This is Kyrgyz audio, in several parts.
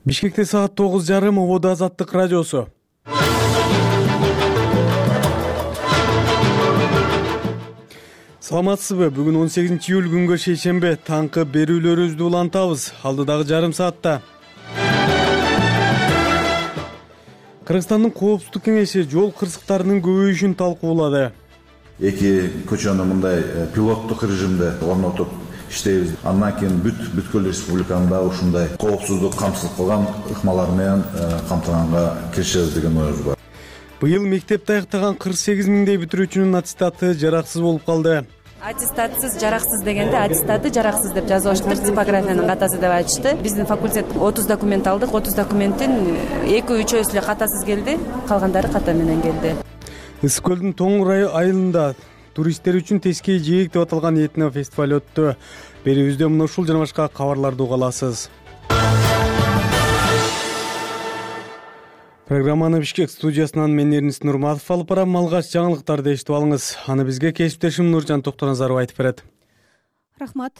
Бишкекте саат 9:30 Ободо Азаттык радиосу. Саламатсызбы? Бүгүн 18-июль күнгө шейшембе. Таңкы берүүлөрүбүздү улантабыз. Алдыдагы жарым саатта. Кыргызстандын Коопсуздук кеңеши жол кырсыктарынын көбөйүшүн талкуулады. Эки көчөнү мындай пилоттук режимде орнотуп иштейбиз. Андан кийин бүткүл республикада ушундай коопсуздук камсыз кылган ыкмалар менен камтыганга киришебиз деген оюбуз бар. Быйыл мектепти аяктаган 48 миңдей бүтүрүүчүнүн аттестаты жараксыз болуп калды. Аттестатсыз жараксыз дегенде аттестаты жараксыз деп жазылыштыр. Типографиянын катасы деп айтышты. Биздин факультет 30 документ алдык. 30 документтин 2-3 эле катасыз келди, калгандары ката менен келди. Ысык көлдүн Тоңур айылында туристтер үчүн Тескей жээк деп аталган этно фестиваль өттү. Берүүбүздө мына ушул жана башка кабарларды уга аласыз. Программаны Бишкек студиясынан мен Эрнис Нурматов алып барам. Алгач жаңылыктарды эшитип алыңыз. Аны бизге кесиптешим Нуржан Токтоназаров айтып берет. Рахмат.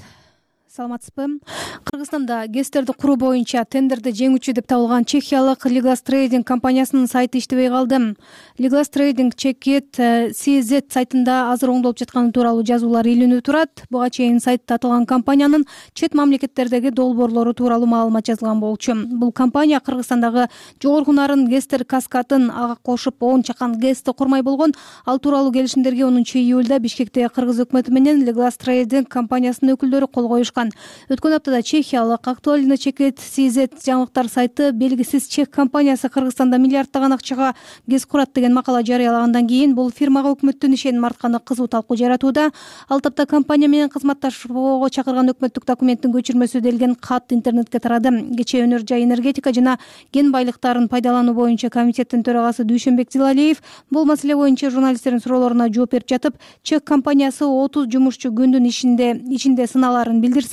Саламатсызбы? Кыргызстанда ГЭСтерди куруу боюнча тендерди жеңүүчү деп табылган чехиялык Liglas Trading компаниясынын сайты иштебей калды. Liglas Trading Чекет CZ сайтында азыр оңдолуп жатканы тууралуу жазуулар илинүү турат. Буга чейин сайтта аталган компаниянын чет мамлекеттердеги долбоорлору тууралуу маалымат жазылган болчу. Бул компания Кыргызстандагы жогорку нарын ГЭСтер каскатын ага кошуп 10 чакан ГЭСти курмай болгон. Ал тууралуу келишимдерге 10-июлда Бишкекте Кыргыз өкмөтү менен Liglas Trading компаниясынын өкүлдөрү кол коюшкан. Өткөн аптада чехиялык Актуальный Чекет CZ жаңылыктар сайты белгисиз чех компаниясы Кыргызстанда миллиарддаган акчага ГЭС курат деген макала жарыялагандан кийин бул фирмага өкмөттүн ишеним артканы кызуу талкуу жаратууда. Ал тапта компания менен кызматташууга чакырган өкмөттүк документтин көчүрмөсү делген кат интернетке тарады. Кечээ Өнөр жай энергетика жана кен байлыктарын пайдалануу боюнча комитеттин төрагасы Дүйшөнбек Зилалиев бул маселе боюнча журналисттердин суроолоруна жооп берип жатып, чех компаниясы 30 жумушчу күндүн ичинде сыналарын билдирсе,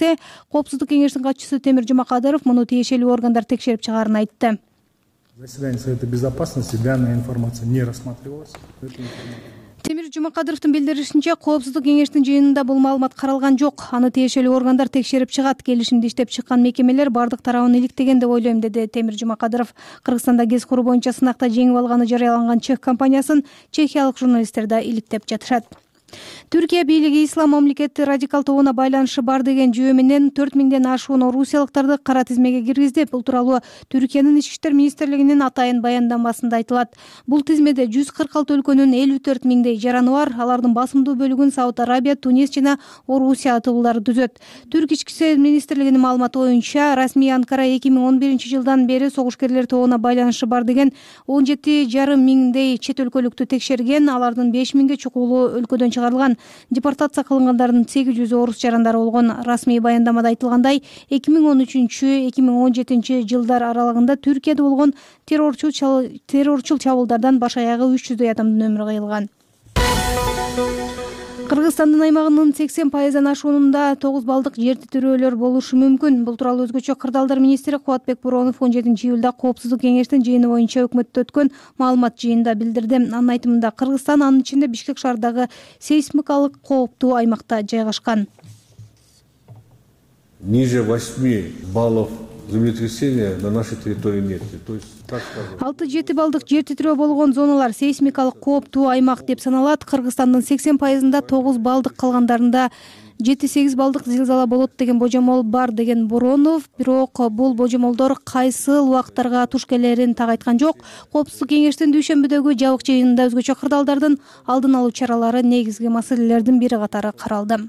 Коопсуздук кеңештин катчысы Темир Жумакадыров муну тиешелүү органдар текшерип чыгаарын айтты. Заседание Совета Безопасности данная информация не рассматривалась. Темир Жумакадыровдун билдиришинче, Коопсуздук кеңештин жыйынында бул маалымат каралган жок. Аны тиешелүү органдар текшерип чыгат. Келишимди иштеп чыккан мекемелер бардык тарабын иликтеген деп ойлойм, деди Темир Жумакадыров. Кыргызстанда ГЭС куруу боюнча сынакта жеңип алганы жарыяланган чех компаниясын чехиялык журналисттер да иликтеп жатышат. Түркия бийлиги ислам мамлекети радикал тобуна байланышы бар деген жүйө менен 4000ден ашуун орусиялыктарды кара тизмеге киргизди. Бул тууралуу Түркиянын ички иштер министрлигинин атайын баяндамасында айтылат. Бул тизмеде 146 өлкөнүн 54 миңдей жараны бар. Алардын басымдуу бөлүгүн Сауд Арабия, Тунис жана Орусия туулары түзөт. Түрк ички иштер министрлигинин маалыматы боюнча, расмий Анкара 2011-жылдан бери согушкерлер тобуна байланышы бар деген 17,5 миңдей чет өлкөлүктү текшерген. Алардын 5 миңге чукулуу өлкөдөн чыгарылган. Депортация кылынгандардын 800 орус жарандары болгон. Расмий баяндамада айтылгандай, 2013-2017 жылдар аралыгында Түркияда болгон террорчул чабуулдардан баш аягы 300 адамдын өмүрү кыйылган. Кыргызстандын аймагынын 80% ашуунунда 9 балдык жер титирөөлөр болушу мүмкүн. Бул тууралуу өзгөчө кырдаалдар министри Кубатбек Боронов 17-июлда Коопсуздук кеңештин жыйыны боюнча өкмөттө өткөн маалымат жыйынында билдирди. Анын айтымында, Кыргызстан анын ичинде Бишкек шаарындагы сейсмикалык кооптуу аймакта жайгашкан. Ниже 8 баллов землетрясения на нашей территории нет. То есть 6-7 балдык жер титирөө болгон зоналар сейсмикалык кооптуу аймак деп саналат. Кыргызстандын 80%-ында 9 балдык, калгандарында 7-8 балдык зилзала болот деген божомол бар, деген Боронов. Бирок бул божомолдор кайсыл убакыттарга туш келерин так айткан жок. Коопсуздук кеңештин дүйшөмбүдөгү жабык жыйынында өзгөчө кырдаалдардын алдын алуу чаралары негизги маселелердин бири катары каралды.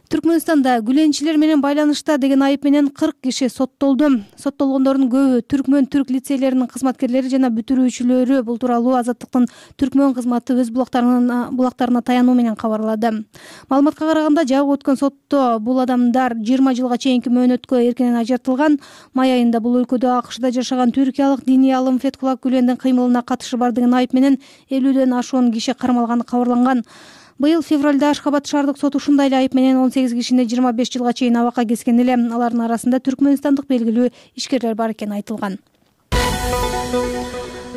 Түркмөнстанда гүленчилер менен байланышта деген айып менен 40 киши соттолду. Соттолгондордун көбү түрк лицейлеринин кызматкерлери жана бүтүрүүчүлөрү. Бул тууралуу Азаттыктын түркмөн кызматы өз булактарына таянуу менен кабарлады. Маалыматка караганда, жабык өткөн сотто бул адамдар 20 жылга чейинки мөөнөткө эркинен ажыртылган. Май айында бул өлкөдө АКШда жашаган түркиялык диний алым Фетхулла Гүлендин кыймылына катышы бар деген айып менен 50ден ашуун киши кармалганы кабарланган. Быйыл февралда Ашхабад шаардык соту ушундай эле айып менен 18 кишини 25 жылга чейин абакка кескен эле. Алардын арасында түркмөнстандык белгилүү ишкерлер бар экени айтылган.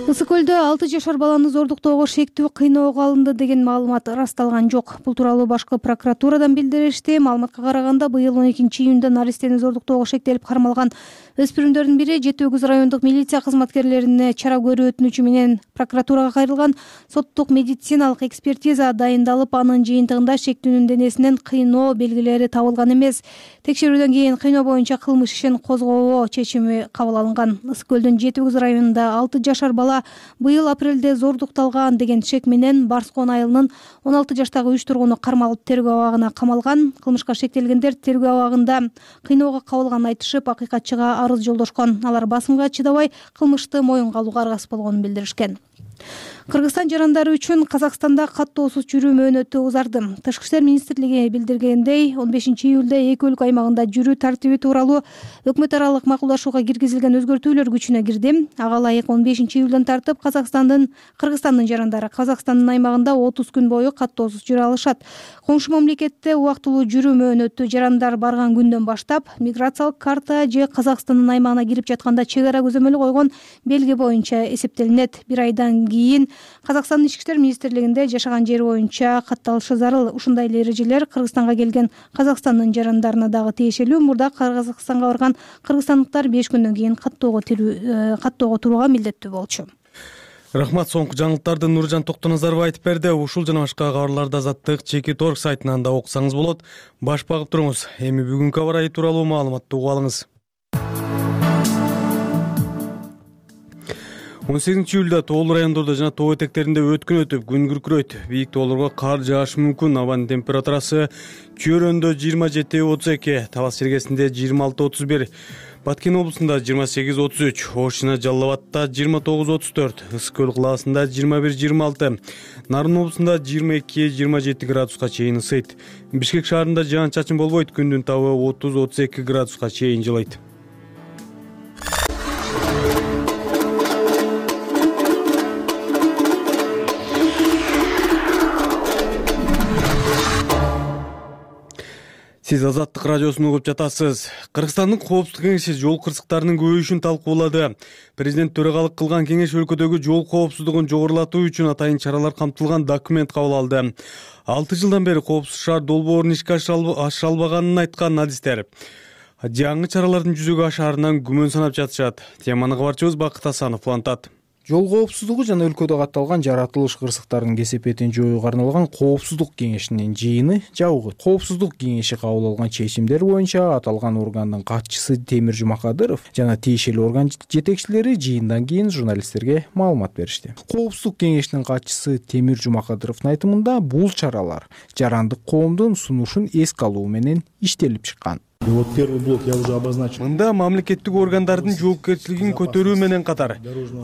Ысык көлдө 6 жашар баланы зордуктоого шектүү кыйноого алынды деген маалымат ырасталган жок. Бул тууралуу башкы прокуратурадан билдиришти. Маалыматка караганда, быйыл 12-июнда наристени зордуктоого шектелип кармалган өспүрүмдөрдүн бири Жети Өгүз райондук милиция кызматкерлерине чара көрүү өтүнүчү менен прокуратурага кайрылган. Соттук медициналык экспертиза дайындалып, анын жыйынтыгында шектүүнүн денесинен кыйноо белгилери табылган эмес. Текшерүүдөн кийин кыйноо боюнча кылмыш ишин козгоого чечими кабыл алынган. Ысык көлдүн Жети Өгүз районунда 6 жашар бала быйыл апрелде зордукталган деген шек менен Барскон айылынын 16 жаштагы 3 тургуну кармалып тергөө абагына камалган. Кылмышка шектелгендер тергөө абагында кыйноого кабылганын айтышып, акыйкатчыга арыз жолдошкон. Алар басымга чыдабай кылмышты моюнга алууга аргасыз болгонун билдиришкен. Кыргызстан жарандары үчүн Казакстанда каттоосуз жүрүү мөөнөтү узарды. Тышкы иштер министрлиги билдиргендей, 15-июлда эки өлкө аймагында жүрүү тартиби тууралуу өкмөт аралык макулдашууга киргизилген өзгөртүүлөр күчүнө кирди. Ага ылайык 15-июлдан тартып Кыргызстандын жарандары Казакстандын аймагында 30 күн бою каттоосуз жүрө алышат. Коңшу мамлекетте убактылуу жүрүү мөөнөтү жарандар барган күндөн баштап миграциялык карта же Казакстандын аймагына кирип жатканда чек ара көзөмөлү койгон белги боюнча эсептелинет. Бир айдан кийин Казакстандын ички иштер министрлигинде жашаган жери боюнча катталышы зарыл. Ушундай эле эрежелер Кыргызстанга келген Казакстандын жарандарына дагы тиешелүү. Мурда Казакстанга барган кыргызстандыктар 5 күндөн кийин каттоого турууга милдеттүү болчу. Рахмат. Соңку жаңылыктарды Нуржан Токтоназаров айтып берди. Ушул жана башка кабарларды Азаттык Чекит.org сайтынан да окусаңыз болот. Баш багып туруңуз. Эми бүгүнкү аба ырайы тууралуу маалыматты угуп алыңыз. 18-июлда тоолуу райондордо жана тоо этектеринде өткүн өтүп, күн күркүрөйт. Бийик тоолорго кар жаашы мүмкүн. Абанын температурасы Чөйрөндө 27-32, Талас Чергесинде 26-31, Баткен облусунда 28-33, Ош жана Жалал Абадта 29-34, Ысык көл кылаасында 21-26, Нарын облусунда 22-27 градуска чейин ысыйт. Бишкек шаарында жаан-чачын болбойт, күндүн табы 30-32 градуска чейин жылыйт. Сиз Азаттык радиосун угуп жатасыз. Кыргызстандын коопсуздук кеңеши жол кырсыктарынын көбөйүшүн талкуулады. Президент төрагалык кылган кеңеш өлкөдөгү жол коопсуздугун жогорулатуу үчүн атайын чаралар камтылган документ кабыл алды. 6 жылдан бери коопсуз шаар долбоорун ишке аша албаганын айткан адистер жаңы чаралардын жүзөгө ашаарынан күмөн санап жатышат. Теманы кабарчыбыз Бакыт Асанов улантат. Жол коопсуздугу жана өлкөдө катталган жаратылыш кырсыктардын кесепетин жоюуга арналган коопсуздук кеңешинин жыйыны жабылды. Коопсуздук кеңеши кабыл алган чечимдер боюнча аталган органдын катчысы Темир Жумакадыров жана тиешелүү орган жетекчилери жыйындан кийин журналисттерге маалымат беришти. Коопсуздук кеңешинин катчысы Темир Жумакадыровдун айтымында бул чаралар жарандык коомдун сунушун эске алуу менен иштелип чыккан. И вот первый блок я уже обозначил. Мында мамлекеттик органдардын жоопкерчилигин көтөрүү менен катар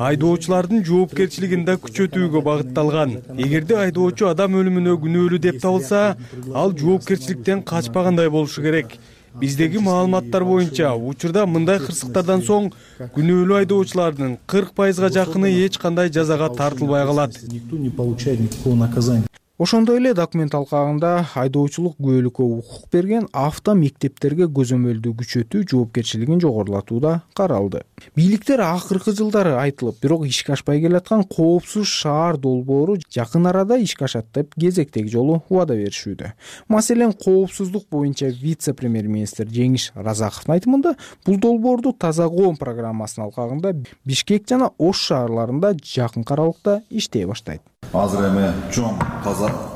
айдоочулардын жоопкерчилигин да күчөтүүгө багытталган. Эгерде айдоочу адам өлүмүнө күнөөлүү деп табылса, ал жоопкерчиликтен качпагандай болушу керек. Биздеги маалыматтар боюнча учурда мындай кырсыктардан соң күнөөлүү айдоочулардын 40%га жакыны эч кандай жазага тартылбай калат. Никто не получает никакого наказания. Ошондой эле документ алкагында айдоочулук күбөлүккө укук берген авто мектептерге көзөмөлдү күчөтүү жоопкерчилигин жогорулатуу да каралды. Бийликтер акыркы жылдары айтылып, бирок ишке ашпай келаткан коопсуз шаар долбоору жакын арада ишке ашат деп кезектеги жолу убада беришүүдө. Маселен, коопсуздук боюнча вице-премьер-министр Жеңиш Разаковдун айтымында, бул долбоорду Таза коом программасынын алкагында Бишкек жана Ош шаарларында жакын аралыкта иштей баштайт. Азыр эми чоң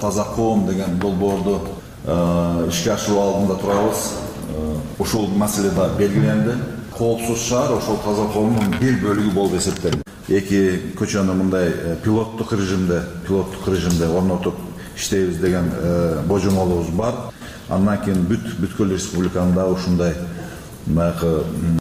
таза коом деген долбоорду ишке ашыруу алдында турабыз. Ушул маселе да белгиленди. Коопсуз шаар ошол таза коомдун бир бөлүгү болуп эсептелет. Эки көчөнү мындай пилоттук режимде орнотуп иштейбиз деген божомолубуз бар. Андан кийин бүткүл республикада ушундай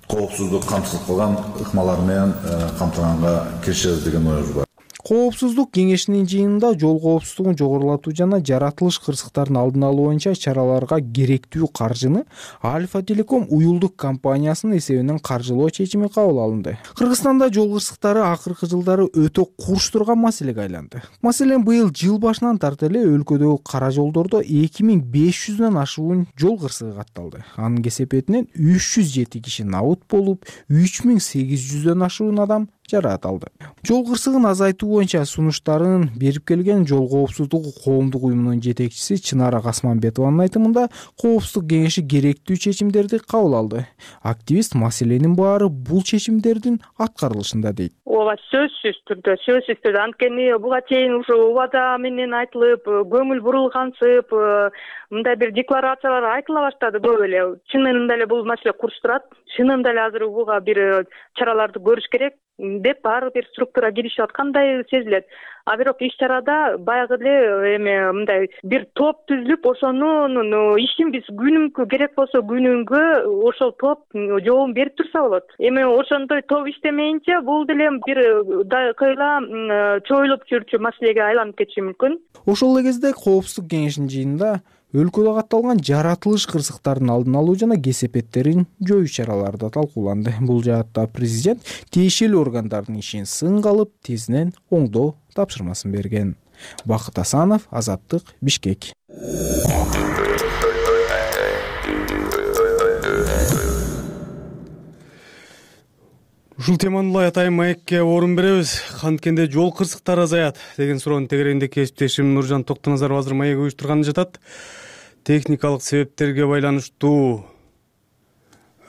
коопсуздук камсыз кылган ыкмалар менен камтыганга киришебиз деген оюбуз бар. Коопсуздук кеңешинин жыйынында жол коопсуздугун жогорулатуу жана жаратылыш кырсыктарын алдын алуу боюнча чараларга керектүү каржыны Альфа Телеком уюлдук компаниясынын эсебинен каржылоо чечими кабыл алынды. Кыргызстанда жол кырсыктары акыркы жылдары өтө курч турган маселеге айланды. Маселен, быйыл жыл башынан тарта эле өлкөдөгү кара жолдордо 2500дөн ашуун жол кырсыгы катталды. Анын кесепетинен 307 киши набыт болуп, 3800дөн ашуун адам жараат алды. Жол кырсыгын азайтуу боюнча сунуштарын берип келген Жол коопсуздугу коомдук уюмунун жетекчиси Чынара Касманбетованын айтымында, коопсуздук кеңеши керектүү чечимдерди кабыл алды. Активист маселенин баары бул чечимдердин аткарылышында дейт. Ооба, сөзсүз түрдө анткени буга чейин ушу убада менен айтылып, көңүл бурулгансып, мындай бир декларациялар айтыла баштады көп эле. Чынында эле бул маселе курчтурат. Чынында эле азыр буга бир чараларды көрүш керек деп баары бир структура киришип аткандай сезилет. А бирок иш чарада баягы эле мындай бир топ түзүлүп, ошонун ишин биз күнүмкү керек болсо күнүнгө ошол топ жообун берип турса болот. Ошондой топ иштемейинче бул деле бир кыйла чоюлуп жүрчү маселеге айланып кетиши мүмкүн. Ошол эле кезде коопсуздук кеңешинин жыйынында өлкөдө катталган жаратылыш кырсыктардын алдын алуу жана кесепеттерин жоюу чаралары да талкууланды. Бул жаатта президент тиешелүү органдардын ишин сынга алып, тезинен оңдоо тапшырмасын берген. Бакыт Асанов, Азаттык, Бишкек. Ушул теманы улай атайын маекке орун беребиз. Канткенде жол кырсыктары азаят деген суроонун тегерегинде кесиптешим Нуржан Токтоназаров азыр маек уюштурганы жатат. Техникалык себептерге байланыштуу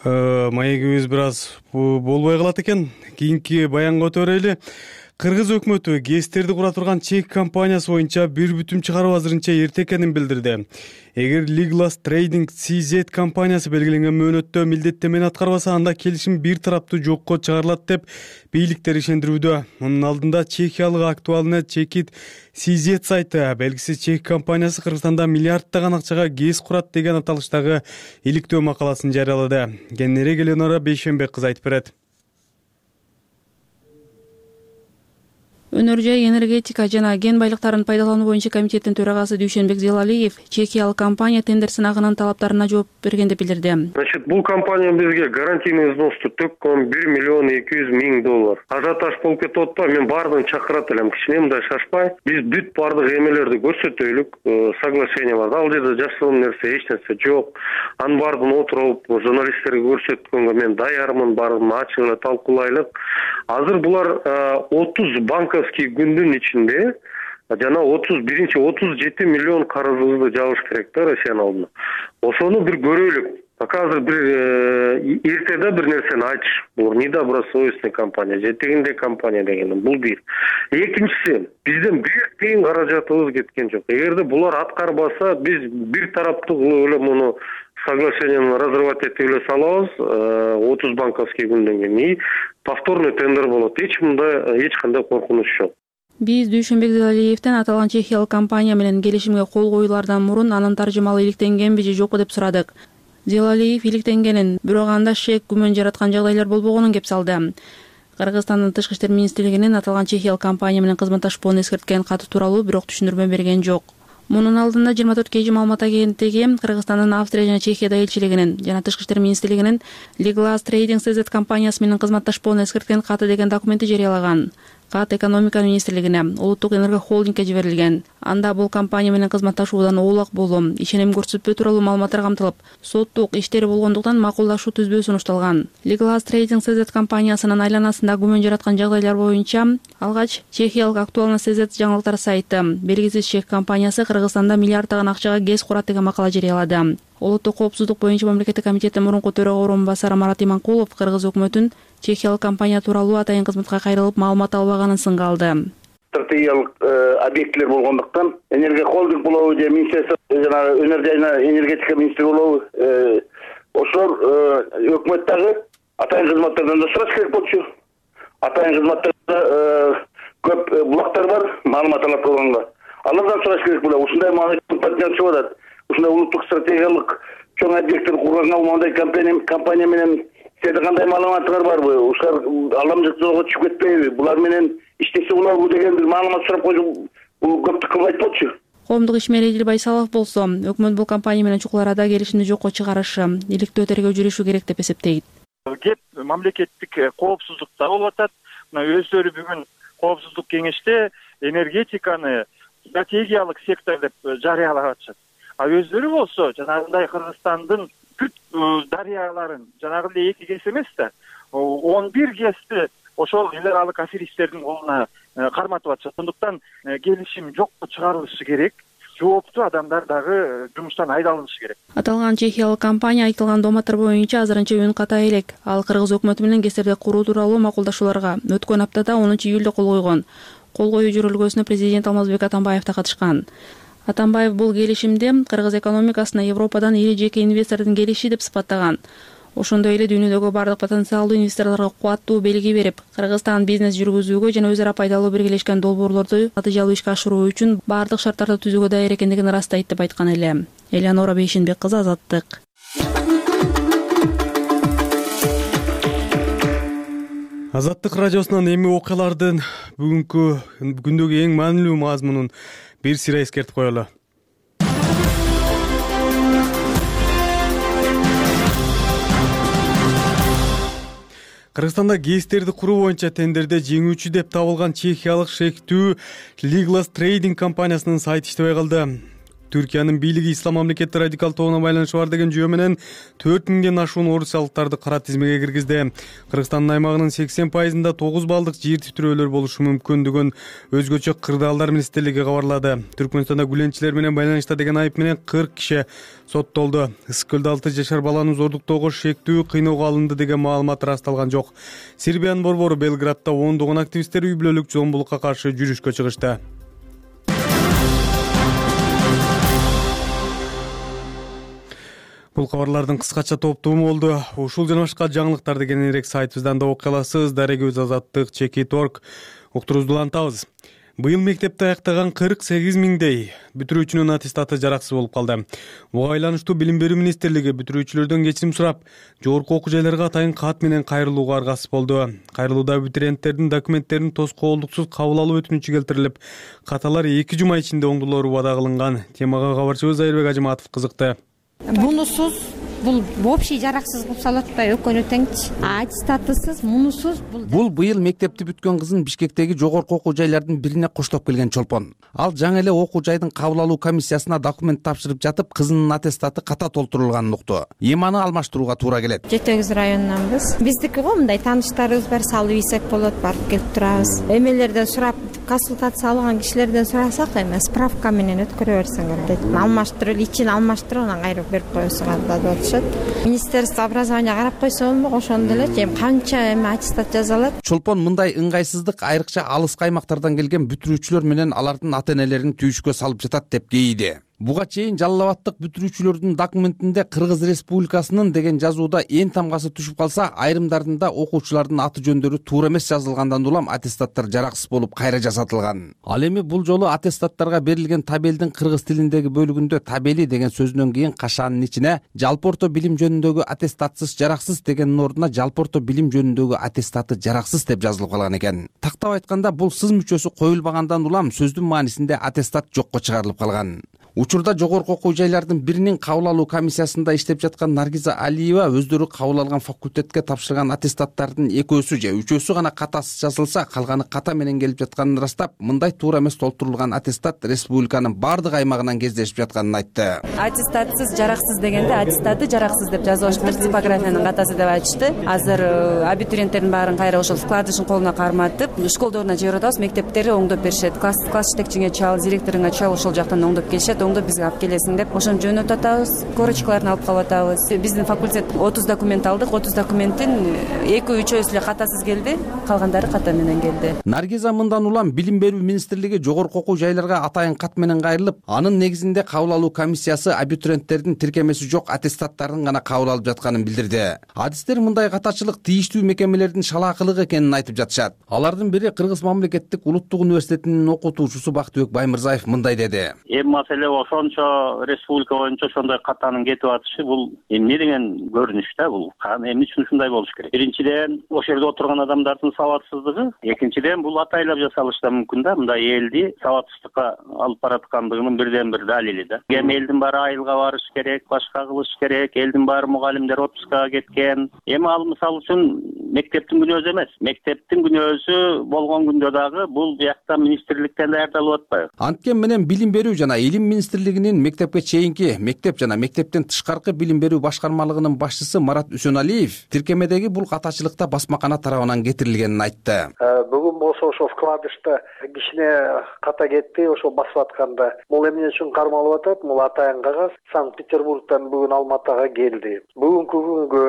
маегибиз бир аз болбой калат экен. Кийинки баянга өтө берели. Кыргыз өкмөтү ГЭСтерди кура турган чек компаниясы боюнча бир бүтүм чыгаруу азырынча эрте экенин билдирди. Эгер Liglas Trading CZ компаниясы белгиленген мөөнөттө милдеттемени аткарбаса, анда келишим бир тараптуу жокко чыгарылат деп бийликтер ишендирүүдө. Мунун алдында чехиялык актуальный чекит CZ сайты белгисиз чек компаниясы Кыргызстанда миллиарддаган акчага ГЭС курат деген аталыштагы иликтөө макаласын жарыялады. Кененирээк Элеонора Бейшенбек кыз айтып берет. Өнөр жай энергетика жана кен байлыктарын пайдалануу боюнча комитеттин төрагасы Дүйшөнбек Зелалиев чехиялык компания тендер сынагынын талаптарына жооп берген деп билдирди. Бул компания бизге гарантийный взносты төккөн $1 миллион 200 000. Ажиотаж болуп кетип атпайбы? Мен баардыгын чакырат элем. Кичине мындай шашпай, биз бүт баардык эмелерди көрсөтөлүк, соглашение бар. Ал жерде жашыруун нерсе, эч нерсе жок. Анын баардыгын отуруп, журналисттерге көрсөткөнгө мен даярмын, баардыгын ачык эле талкуулайлык. Азыр булар 30 банковский күндүн ичинде жана 37 миллион карызыбызды жабыш керек да Россиянын алдына. Ошону бир көрөлүк. Пока азыр бир эртеде бир нерсени айтыш. Бул недобросовестный компания, жетегинде компания деген. Бул бир. Экинчиси, бизден бир тыйын каражатыбыз кеткен жок. Эгерде булар аткарбаса, биз бир тараптуу эле муну соглашениени разрывать этип эле салабыз 30 банковский күндөн кийин. И повторный тендер болот. Эч кандай коркунуч жок. Биз Дүйшөнбек Зелалиевден аталган чехиялык компания менен келишимге кол коюлардан мурун анын таржымалы иликтенгенби же жокпу деп сурадык. Зелалиев иликтенгенин, бирок анда шек күмөн жараткан жагдайлар болбогонун кеп салды. Кыргызстандын Тышкы иштер министрлигинин аталган чехиялык компания менен кызматташпоону эскерткен каты тууралуу бирок түшүндүрмө берген жок. Мунун алдында 24 KG маалымат агенттиги Кыргызстандын Австрия жана Чехияда элчилигинин жана Тышкы иштер министрлигинин Liglas Trading CZ компаниясы менен кызматташпоону эскерткен каты деген документти жарыялаган. Кат экономика министрлигине, улуттук энерго холдингге жиберилген. Анда бул компания менен кызматташуудан оолак болуу, ишеним көрсөтпөө тууралуу маалыматтар камтылып, соттук иштери болгондуктан макулдашуу түзбөө сунушталган. Liglas Trading CZ компаниясынын айланасында күмөн жараткан жагдайлар боюнча алгач чехиялык актуальный CZ жаңылыктар сайты белгисиз чек компаниясы Кыргызстанда миллиарддаган акчага ГЭС курат деген макала жарыялады. Улуттук коопсуздук боюнча мамлекеттик комитеттин мурунку төрага орун басары Марат Иманкулов Кыргыз өкмөтүн чехиялык компания тууралуу атайын кызматка кайрылып маалымат албаганын сынга алды. Стратегиялык объектилер болгондуктан энергия холдинг болобу же министрлик жана өнөр жана энергетика министри болобу ошол өкмөт дагы атайын кызматтардан да сураш керек болчу. Атайын кызматтарда көп булактар бар, маалымат алат болгонго. Алардан сураш керек болот. Ушундай партнерчи болот. Ушундай улуттук стратегиялык чоң объекттер курганга мындай компания менен сизде кандай маалыматтар барбы? Ушулар аламжык жолго түшүп кетпейби? Булар менен иштесе болобу деген бир маалымат сурап койсо, бул көптү кылбайт болчу. Коомдук ишмер Эдил Байсалов болсо, өкмөт бул компания менен чукул арада келишимди жокко чыгарышы, иликтөө тергөө жүрүшү керек деп эсептейт. Кеп мамлекеттик коопсуздукта болуп атат. Мына өздөрү бүгүн коопсуздук кеңеште энергетиканы стратегиялык сектор деп жарыялаган атышат. А өздөрү болсо жанагындай Кыргызстандын бүт дарыяларын жанагындай 2 ГЭС эмес да 11 ГЭСти ошол эл аралык аферисттердин колуна карматып атышат. Сондуктан келишим жокко чыгарылышы керек. Жооптуу адамдар дагы жумуштан айдалышы керек. Аталган чехиялык компания айтылган дооматтар боюнча азырынча үн ката элек. Ал кыргыз өкмөтү менен ГЭСтерди куруу тууралуу макулдашууларга өткөн аптада 10-июлда кол койгон. Кол коюу жөрөлгөсүнө президент Алмазбек Атамбаев да катышкан. Атамбаев бул келишимди кыргыз экономикасына Европадан ири жеке инвестордун келиши деп сыпаттаган. Ошондой эле дүйнөдөгү бардык потенциалдуу инвесторлорго кубаттуу белги берип, Кыргызстан бизнес жүргүзүүгө жана өзара пайдалуу биргелешкен долбоорлорду натыйжалуу ишке ашыруу үчүн бардык шарттарды түзүүгө даяр экендигин ырастайт деп айткан эле. Элеонора Бейшенбек кызы, Азаттык. Азаттык радиосунан эми окуялардын күндөгү эң маанилүү мазмунун бир сыйра эскертип коелу. Кыргызстанда ГЭСтерди куруу боюнча тендерде жеңүүчү деп табылган чехиялык шектүү Liglas Trading компаниясынын сайты иштебей калды. Түркиянын бийлиги ислам мамлекети радикал тобуна байланышы бар деген жөө менен 4000ден ашуун орусиялыктарды кара тизмеге киргизди. Кыргызстандын аймагынын 80%-ында 9 баллдык жер титирөөлөр болушу мүмкүндүгүн өзгөчө кырдаалдар министрлиги кабарлады. Түркмөнстанда гүленчилер менен байланышта деген айып менен 40 киши соттолду. Ысык көлдө 6 жашар баланы зордуктоого шектүү кыйноого алынды деген маалымат ырасталган жок. Сербиянын борбору Белградда ондогон активисттер үй бүлөлүк зомбулукка каршы жүрүшкө чыгышты. Бул кабарлардын кыскача топтому болду. Ушул жана башка жаңылыктарды кененирээк сайтыбыздан да окуя аласыз. Дарегибиз Азаттык Чеки.org уктуруубузду улантабыз. Быйыл мектепти аяктаган 48 миңдей бүтүрүүчүнүн аттестаты жараксыз болуп калды. Буга байланыштуу Билим берүү министрлиги бүтүрүүчүлөрдөн кечирим сурап, жогорку окуу жайларга атайын кат менен кайрылууга аргасыз болду. Кайрылууда абитуриенттердин документтерин тоскоолдуксуз кабыл алуу өтүнүчү келтирилип, каталар 2 жума ичинде оңдолору убада кылынган. Темага кабарчыбыз Айырбек Ажыматов кызыкты. Мунусуз бул вообще жараксыз кылып салат атпайбы экөөнү теңчи. Аттестатысыз, мунусуз бул быйыл мектепти бүткөн кызын Бишкектеги жогорку окуу жайлардын бирине коштоп келген чолпон. Ал жаңы эле окуу жайдын кабыл алуу комиссиясына документ тапшырып жатып, кызынын аттестаты ката толтурулганын укту. Эми аны алмаштырууга туура келет. Жетегиз районунанбыз. Биздики го мындай тааныштарыбыз бар, салып ийсек болот, барып келип турабыз. Эмелерден сурап, консультация алган кишилерден сурасак, эми справка менен өткөрө берсеңер дейт. Алмаштырып, ичин алмаштырып, анан кайрып берип коесуңар деп атышат. Министерство образования карап койсо болмок, ошондо эле эми канча аттестат жаза алат. Чолпон мындай ыңгайсыздык айрыкча алыскы аймактардан келген бүтүрүүчүлөр менен алардын ата-энелерин түйүшкө салып жатат деп кейиди. Буга чейин Жалал Абадтык бүтүрүүчүлөрдүн документинде Кыргыз Республикасынын деген жазууда эң тамгасы түшүп калса, айрымдарында окуучулардын аты жөндөрү туура эмес жазылгандан улам аттестаттар жараксыз болуп кайра жасатылган. Ал эми бул жолу аттестаттарга берилген табелдин кыргыз тилиндеги бөлүгүндө табели деген сөзүнөн кийин кашаанын ичине жалпы орто билим жөнүндөгү аттестатсыз жараксыз дегендин ордуна жалпы орто билим жөнүндөгү аттестаты жараксыз деп жазылып калган экен. Тактап айтканда, бул сыз мүчөсү коюлбагандан улам сөздүн маанисинде аттестат жокко чыгарылып калган. Учурда жогорку окуу жайлардын биринин кабыл алуу комиссиясында иштеп жаткан Наргиза Алиева өздөрү кабыл алган факультетке тапшырган аттестаттардын 2-сү же 3-сү гана катасыз жазылса, калганы ката менен келип жатканын ырастап, мындай туура эмес толтурулган аттестат республиканын бардык аймагынан кездешип жатканын айтты. Аттестатсыз жараксыз дегенде аттестаты жараксыз деп жазып атышты, типографиянын катасы деп айтышты. Азыр абитуриенттердин баарын кайра ошол вкладышын колуна карматып, школдоруна жиберип атабыз, мектептери оңдоп беришет. Класс жетекчиңе чал, директоруңа чал, ошол жактан оңдоп келишет. Оңдоп бизге алып келесиң деп ошону жөнөтүп атабыз, корочкаларын алып калып атабыз. Биздин факультет 30 документ алдык, 30 документтин 2-3-өсү эле катасыз келди, калгандары ката менен келди. Наргиза мындан улам Билим берүү министрлиги жогорку окуу жайларга атайын кат менен кайрылып, анын негизинде кабыл алуу комиссиясы абитуриенттердин тиркемеси жок аттестаттарын гана кабыл алып жатканын билдирди. Адистер мындай катачылык тийиштүү мекемелердин шалаакылыгы экенин айтып жатышат. Алардын бири Кыргыз мамлекеттик улуттук университетинин окутуучусу Бактыбек Баймырзаев мындай деди. Маселе ошончо республика боюнча ошондой катанын кетип атышы, бул эмне деген көрүнүш да, бул эмне үчүн ушундай болуш керек? Биринчиден, ошол жерде отурган адамдардын сабатсыздыгы, экинчиден, бул атайлап жасалышы да мүмкүн да, мындай элди сабатсыздыкка алып бараткандыгынын бирден бир далили да. Эми элдин баары айылга барыш керек, башка кылыш керек, элдин баары мугалимдер отпускага кеткен. Эми ал мисалы үчүн мектептин күнөөсү эмес. Мектептин күнөөсү болгон күндө дагы бул биякта министрликтен даярдалып атпайбы? Анткен менен Билим берүү жана Илим министрлигинин мектепке чейинки мектеп жана мектептен тышкаркы билим берүү башкармалыгынын башчысы Марат Үсөналиев тиркемедеги бул катачылыкта басмакана тарабынан кетирилгенин айтты. Бүгүн болсо ошо вкладышта кичине ката кетти, ошо басып атканда. Бул эмне үчүн кармалып атат? Бул атайын кагаз Санкт-Петербургдан бүгүн Алматыга келди. Бүгүнкү күнгө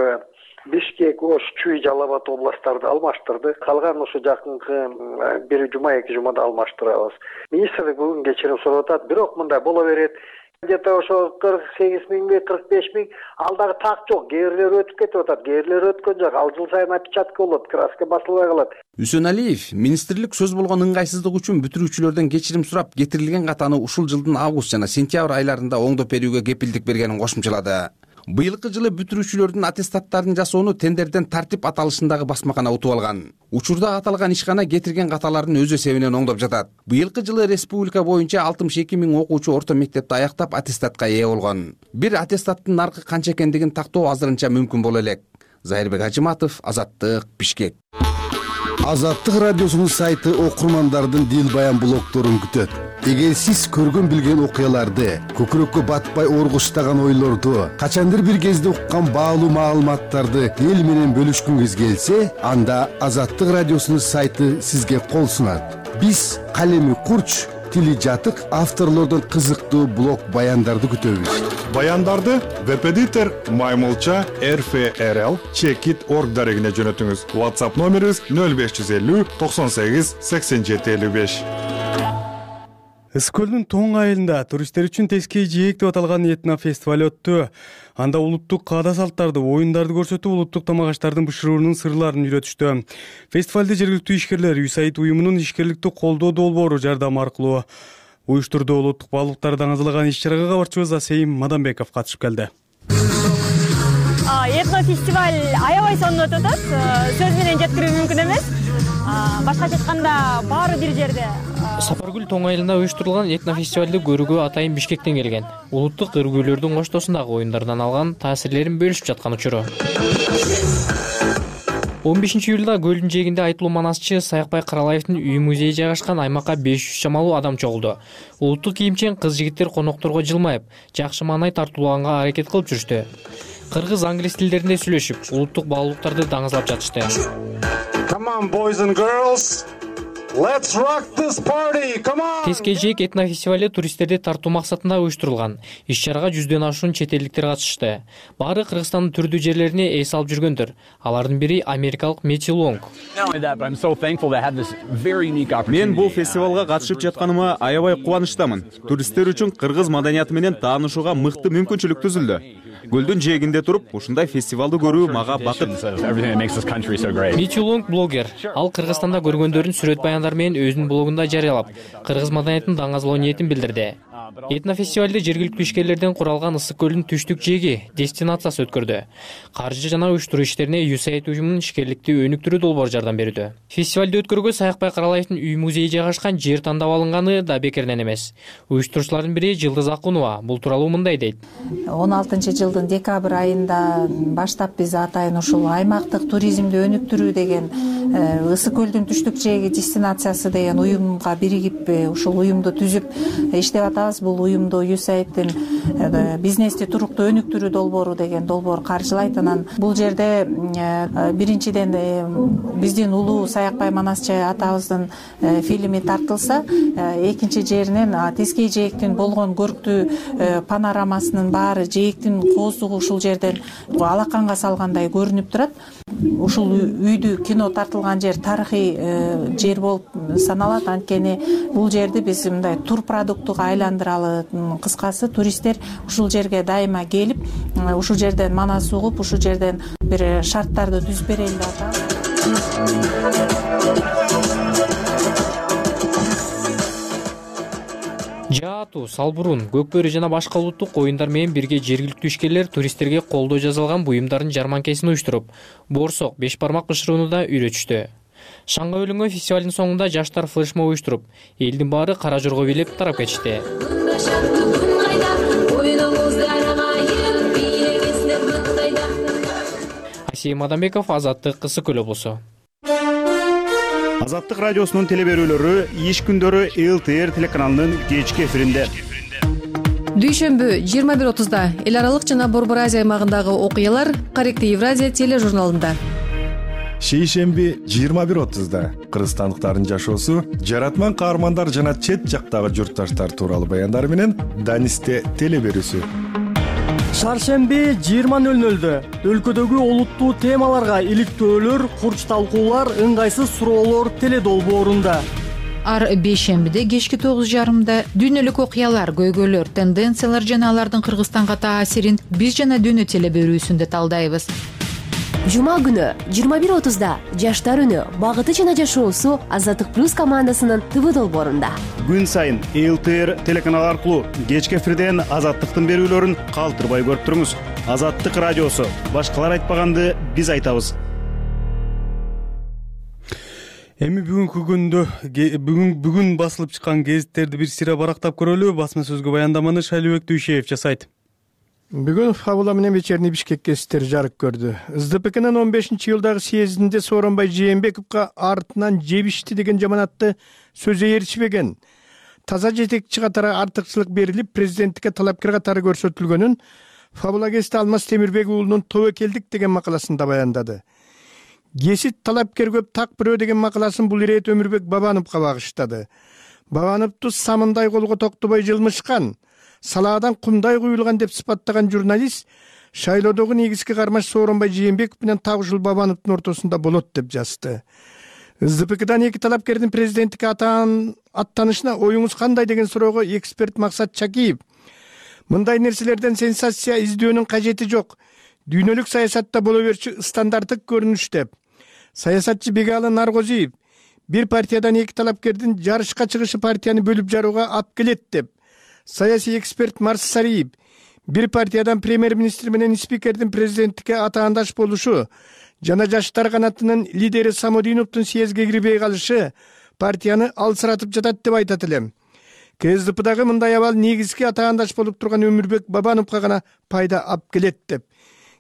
Бишкек, Ош, Чүй, Жалал Абад областтарды алмаштырды. Калган ошо жакынкы бир жума, 2 жумада алмаштырабыз. Министрлик бүгүн кечирим сурап атат, бирок мындай боло берет. Где-то ошо 48 миңби, 45 миң алдагы так жок. Кээрлер өтүп кетип атат. Кээрлер өткөн жок. Ал жыл сайын опечатка болот, краска басылбай калат. Үсөналиев министрлик сөз болгон ыңгайсыздык үчүн бүтүрүүчүлөрдөн кечирим сурап, кетирилген катаны ушул жылдын август жана сентябрь айларында оңдоп берүүгө кепилдик бергенин кошумчалады. Быйылкы жылы бүтүрүүчүлөрдүн аттестаттарын жасоону тендерден тартип аталышындагы басмакана утуп алган. Учурда аталган ишкана кетирген каталарын өз эсебинен оңдоп жатат. Быйылкы жылы республика боюнча 62 миң окуучу орто мектепти аяктап аттестатка ээ болгон. Бир аттестаттын наркы канча экендигин тактоо азырынча мүмкүн боло элек. Зайырбек Ажыматов, Азаттык, Бишкек. Азаттык радиосунун сайты окурмандардын дил баян блогдорун күтөт. Эгер сиз көргөн билген окуяларды, көкүрөккө батпай оргуштаган ойлорду, качандыр бир кезде уккан баалуу маалыматтарды эл менен бөлүшкүңүз келсе, анда Азаттык радиосунун сайты сизге кол сунат. Биз калеми курч, тили жатык авторлордон кызыктуу блог баяндарды күтөбүз. Баяндарды веб-эдитор Маймылча RFRL Checkit.org дарегине жөнөтүңүз. WhatsApp номерибиз 0550 98 87 55. Ысык көлдүн тоң айылында туристтер үчүн тескей жээк деп аталган этно фестиваль өттү. Анда улуттук каада салттарды, оюндарды көрсөтүп, улуттук тамак-аштардын бышыруунун сырларын үйрөтүштү. Фестивалды жергиликтүү ишкерлер USAID уюмунун ишкерликти колдоо долбоору жардамы аркылуу уюштурду. Улуттук баалуулуктарды аңызлаган иш-чарага кабарчыбыз Асейим Маданбеков катышып келди. Этно фестиваль аябай сонун өтүп атат. Сөз менен жеткирүү мүмкүн эмес. Башкача айтканда баары бир жерде. Сапаргүл тоң айылында уюштурулган этно фестивалды көрүүгө атайын Бишкектен келген. Улуттук ыргүүлөрдүн коштоосундагы оюндардан алган таасирлерин бөлүшүп жаткан учуру. 15-июлда көлдүн жээгинде айтылуу манасчы Саякбай Каралаевдин үй музейи жайгашкан аймакка 500 чамалуу адам чогулду. Улуттук кийимчен кыз-жигиттер конокторго жылмайып, жакшы маанай тартуулаганга аракет кылып жүрүштү. Кыргыз, англис тилдеринде сүйлөшүп, улуттук баалуулуктарды даңазлап жатышты. Come on, boys and girls. Let's rock this party. Come on. Тескей жээк этно фестивали туристтерди тартуу максатында уюштурулган. Иш-чарага 100дөн ашуун чет элдиктер катышты. Баары Кыргызстандын түрдүү жерлерине эс алып жүргөндөр. Алардын бири америкалык Мэттью Лонг. Мен бул фестивалга катышып жатканыма аябай кубанычтамын. Туристтер үчүн кыргыз маданияты менен таанышууга мыкты мүмкүнчүлүк түзүлдү. Көлдүн жээгинде туруп, ушундай фестивалды көрүү мага бакыт. Мэттью Лонг блогер. Ал Кыргызстанда көргөндөрүн сүрөт баяндар менен өзүнүн блогунда жарыялап, кыргыз маданиятын даңазалоо ниетин билдирди. Этно фестивалды жергиликтүү ишкерлерден куралган Ысык көлдүн түштүк жээги дестинациясы өткөрдү. Каржы жана уюштуруу иштерине USAID уюмунун ишкерликти өнүктүрүү долбоору жардам берүүдө. Фестивалды өткөрүүгө Саякбай Каралаевдин үй музейи жайгашкан жер тандап алынганы да бекерден эмес. Уюштуруучулардын бири Жылдыз Акунова бул тууралуу мындай дейт. 16-жылдын декабрь айында баштап биз атайын ушул аймактык туризмди өнүктүрүү деген Ысык көлдүн түштүк жээги дестинациясы деген уюмга биригип ушул уюмду түзүп иштеп атабыз. Бул уюмду USAID-тин бизнести туруктуу өнүктүрүү долбоору деген долбоор каржылайт. Анан бул жерде биринчиден биздин улуу Саякбай Манасчы атабыздын фильми тартылса, экинчи жеринен Тескей жээктин болгон көрктүү панорамасынын баары жээктин кооздугу ушул жерден алаканга салгандай көрүнүп турат. Ушул үйдү кино тартылган жер тарыхый жер болуп саналат. Анткени бул жерди биз мындай тур продуктуга айландыралы. Кыскасы туристтер ушул жерге дайыма келип, ушул жерден манас угуп, ушул жерден бир шарттарды түзүп берели деп атабыз. Жаату, Салбурун, Көкбөрү жана башка улуттук оюндар менен бирге жергиликтүү ишкерлер туристтерге колдоо жасалган буюмдардын жарманкесин уюштуруп, боорсок, беш бармак бышырууну да үйрөтүштү. Шаңга өлүнгөн фестивалдын соңунда жаштар флешмоб уюштуруп, элдин баары кара жорго бийлеп тарап кетишти. Алексей Мадамбеков, Азаттык, Ысык Көл облусу. Азаттык радиосунун телеберүүлөрү иш күндөрү ЛТР телеканалынын кечки эфиринде. Дүйшөмбү 21:30 эл аралык жана Борбор Азия аймагындагы окуялар Корректив Евразия тележурналында. Шейшемби 21:30 кыргызстандыктардын жашоосу, жаратман каармандар жана чет жактагы журтташтар тууралуу баяндар менен Данисте телеберүүсү. Шаршемби 20:00 өлкөдөгү олуттуу темаларга иликтөөлөр, курч талкуулар, ыңгайсыз суроолор теледолбоорунда. Ар бейшембиде кечки 9:30 дүйнөлүк окуялар, көйгөйлөр, тенденциялар жана алардын Кыргызстанга таасирин биз жана дүйнө телеберүүсүндө талдайбыз. Жума күнү 21:30 Жаштар үнү, багыты жана жашоосу Азаттык плюс командасынын ТВ долбоорунда. Күн сайын ЛТР телеканалы аркылуу кечки эфирден Азаттыктын берүүлөрүн калтырбай көрүп туруңуз. Азаттык радиосу, башкалар айтпаганды биз айтабыз. Эми бүгүнкү күндө бүгүн басылып чыккан гезиттерди бир сыйра барактап көрөлү. Басма сөзгө баяндаманы Шайлыбек Дүйшеев жасайт. Бүгүн Фабула менен Вечерний Бишкек гезиттери жарык көрдү. СДПКнын 15-жылдагы съездинде Сооронбай Жээнбековго артынан жебишти деген жаманатты сөзү ээрчибеген. Таза жетекчи катары артыкчылык берилип, президенттикке талапкер катары көрсөтүлгөнүн Фабула гезити Алмаз Темирбек уулунун тобокелдик деген макаласында баяндады. Гезит талапкер көп так бирөө деген макаласын бул ирет Өмүрбек Бабановго багыштады. Бабановду самындай колго токтобой жылмышкан, салаадан кумдай куюлган деп сыпаттаган журналист шайлоодогу негизги кармаш Сооронбай Жээнбеков менен так ушул Бабановдун ортосунда болот деп жазды. СДПКдан эки талапкердин президенттикке аттанышына оюңуз кандай деген суроого эксперт Максат Чакиев: мындай нерселерден сенсация издөөнүн кажети жок. Дүйнөлүк саясатта боло берчү стандарттык көрүнүш деп. Саясатчы Бегалы Наргозиев: бир партиядан эки талапкердин жарышка чыгышы партияны бөлүп жарууга алып келет деп. Саясий эксперт Марс Сариев: бир партиядан премьер-министр менен спикердин президенттикке атаандаш болушу жана жаштар канатынын лидери Самодиновдун съездге кирбей калышы партияны алсыратып жатат деп айтат элем. КСДПдагы мындай абал негизги атаандаш болуп турган Өмүрбек Бабановго гана пайда алып келет деп.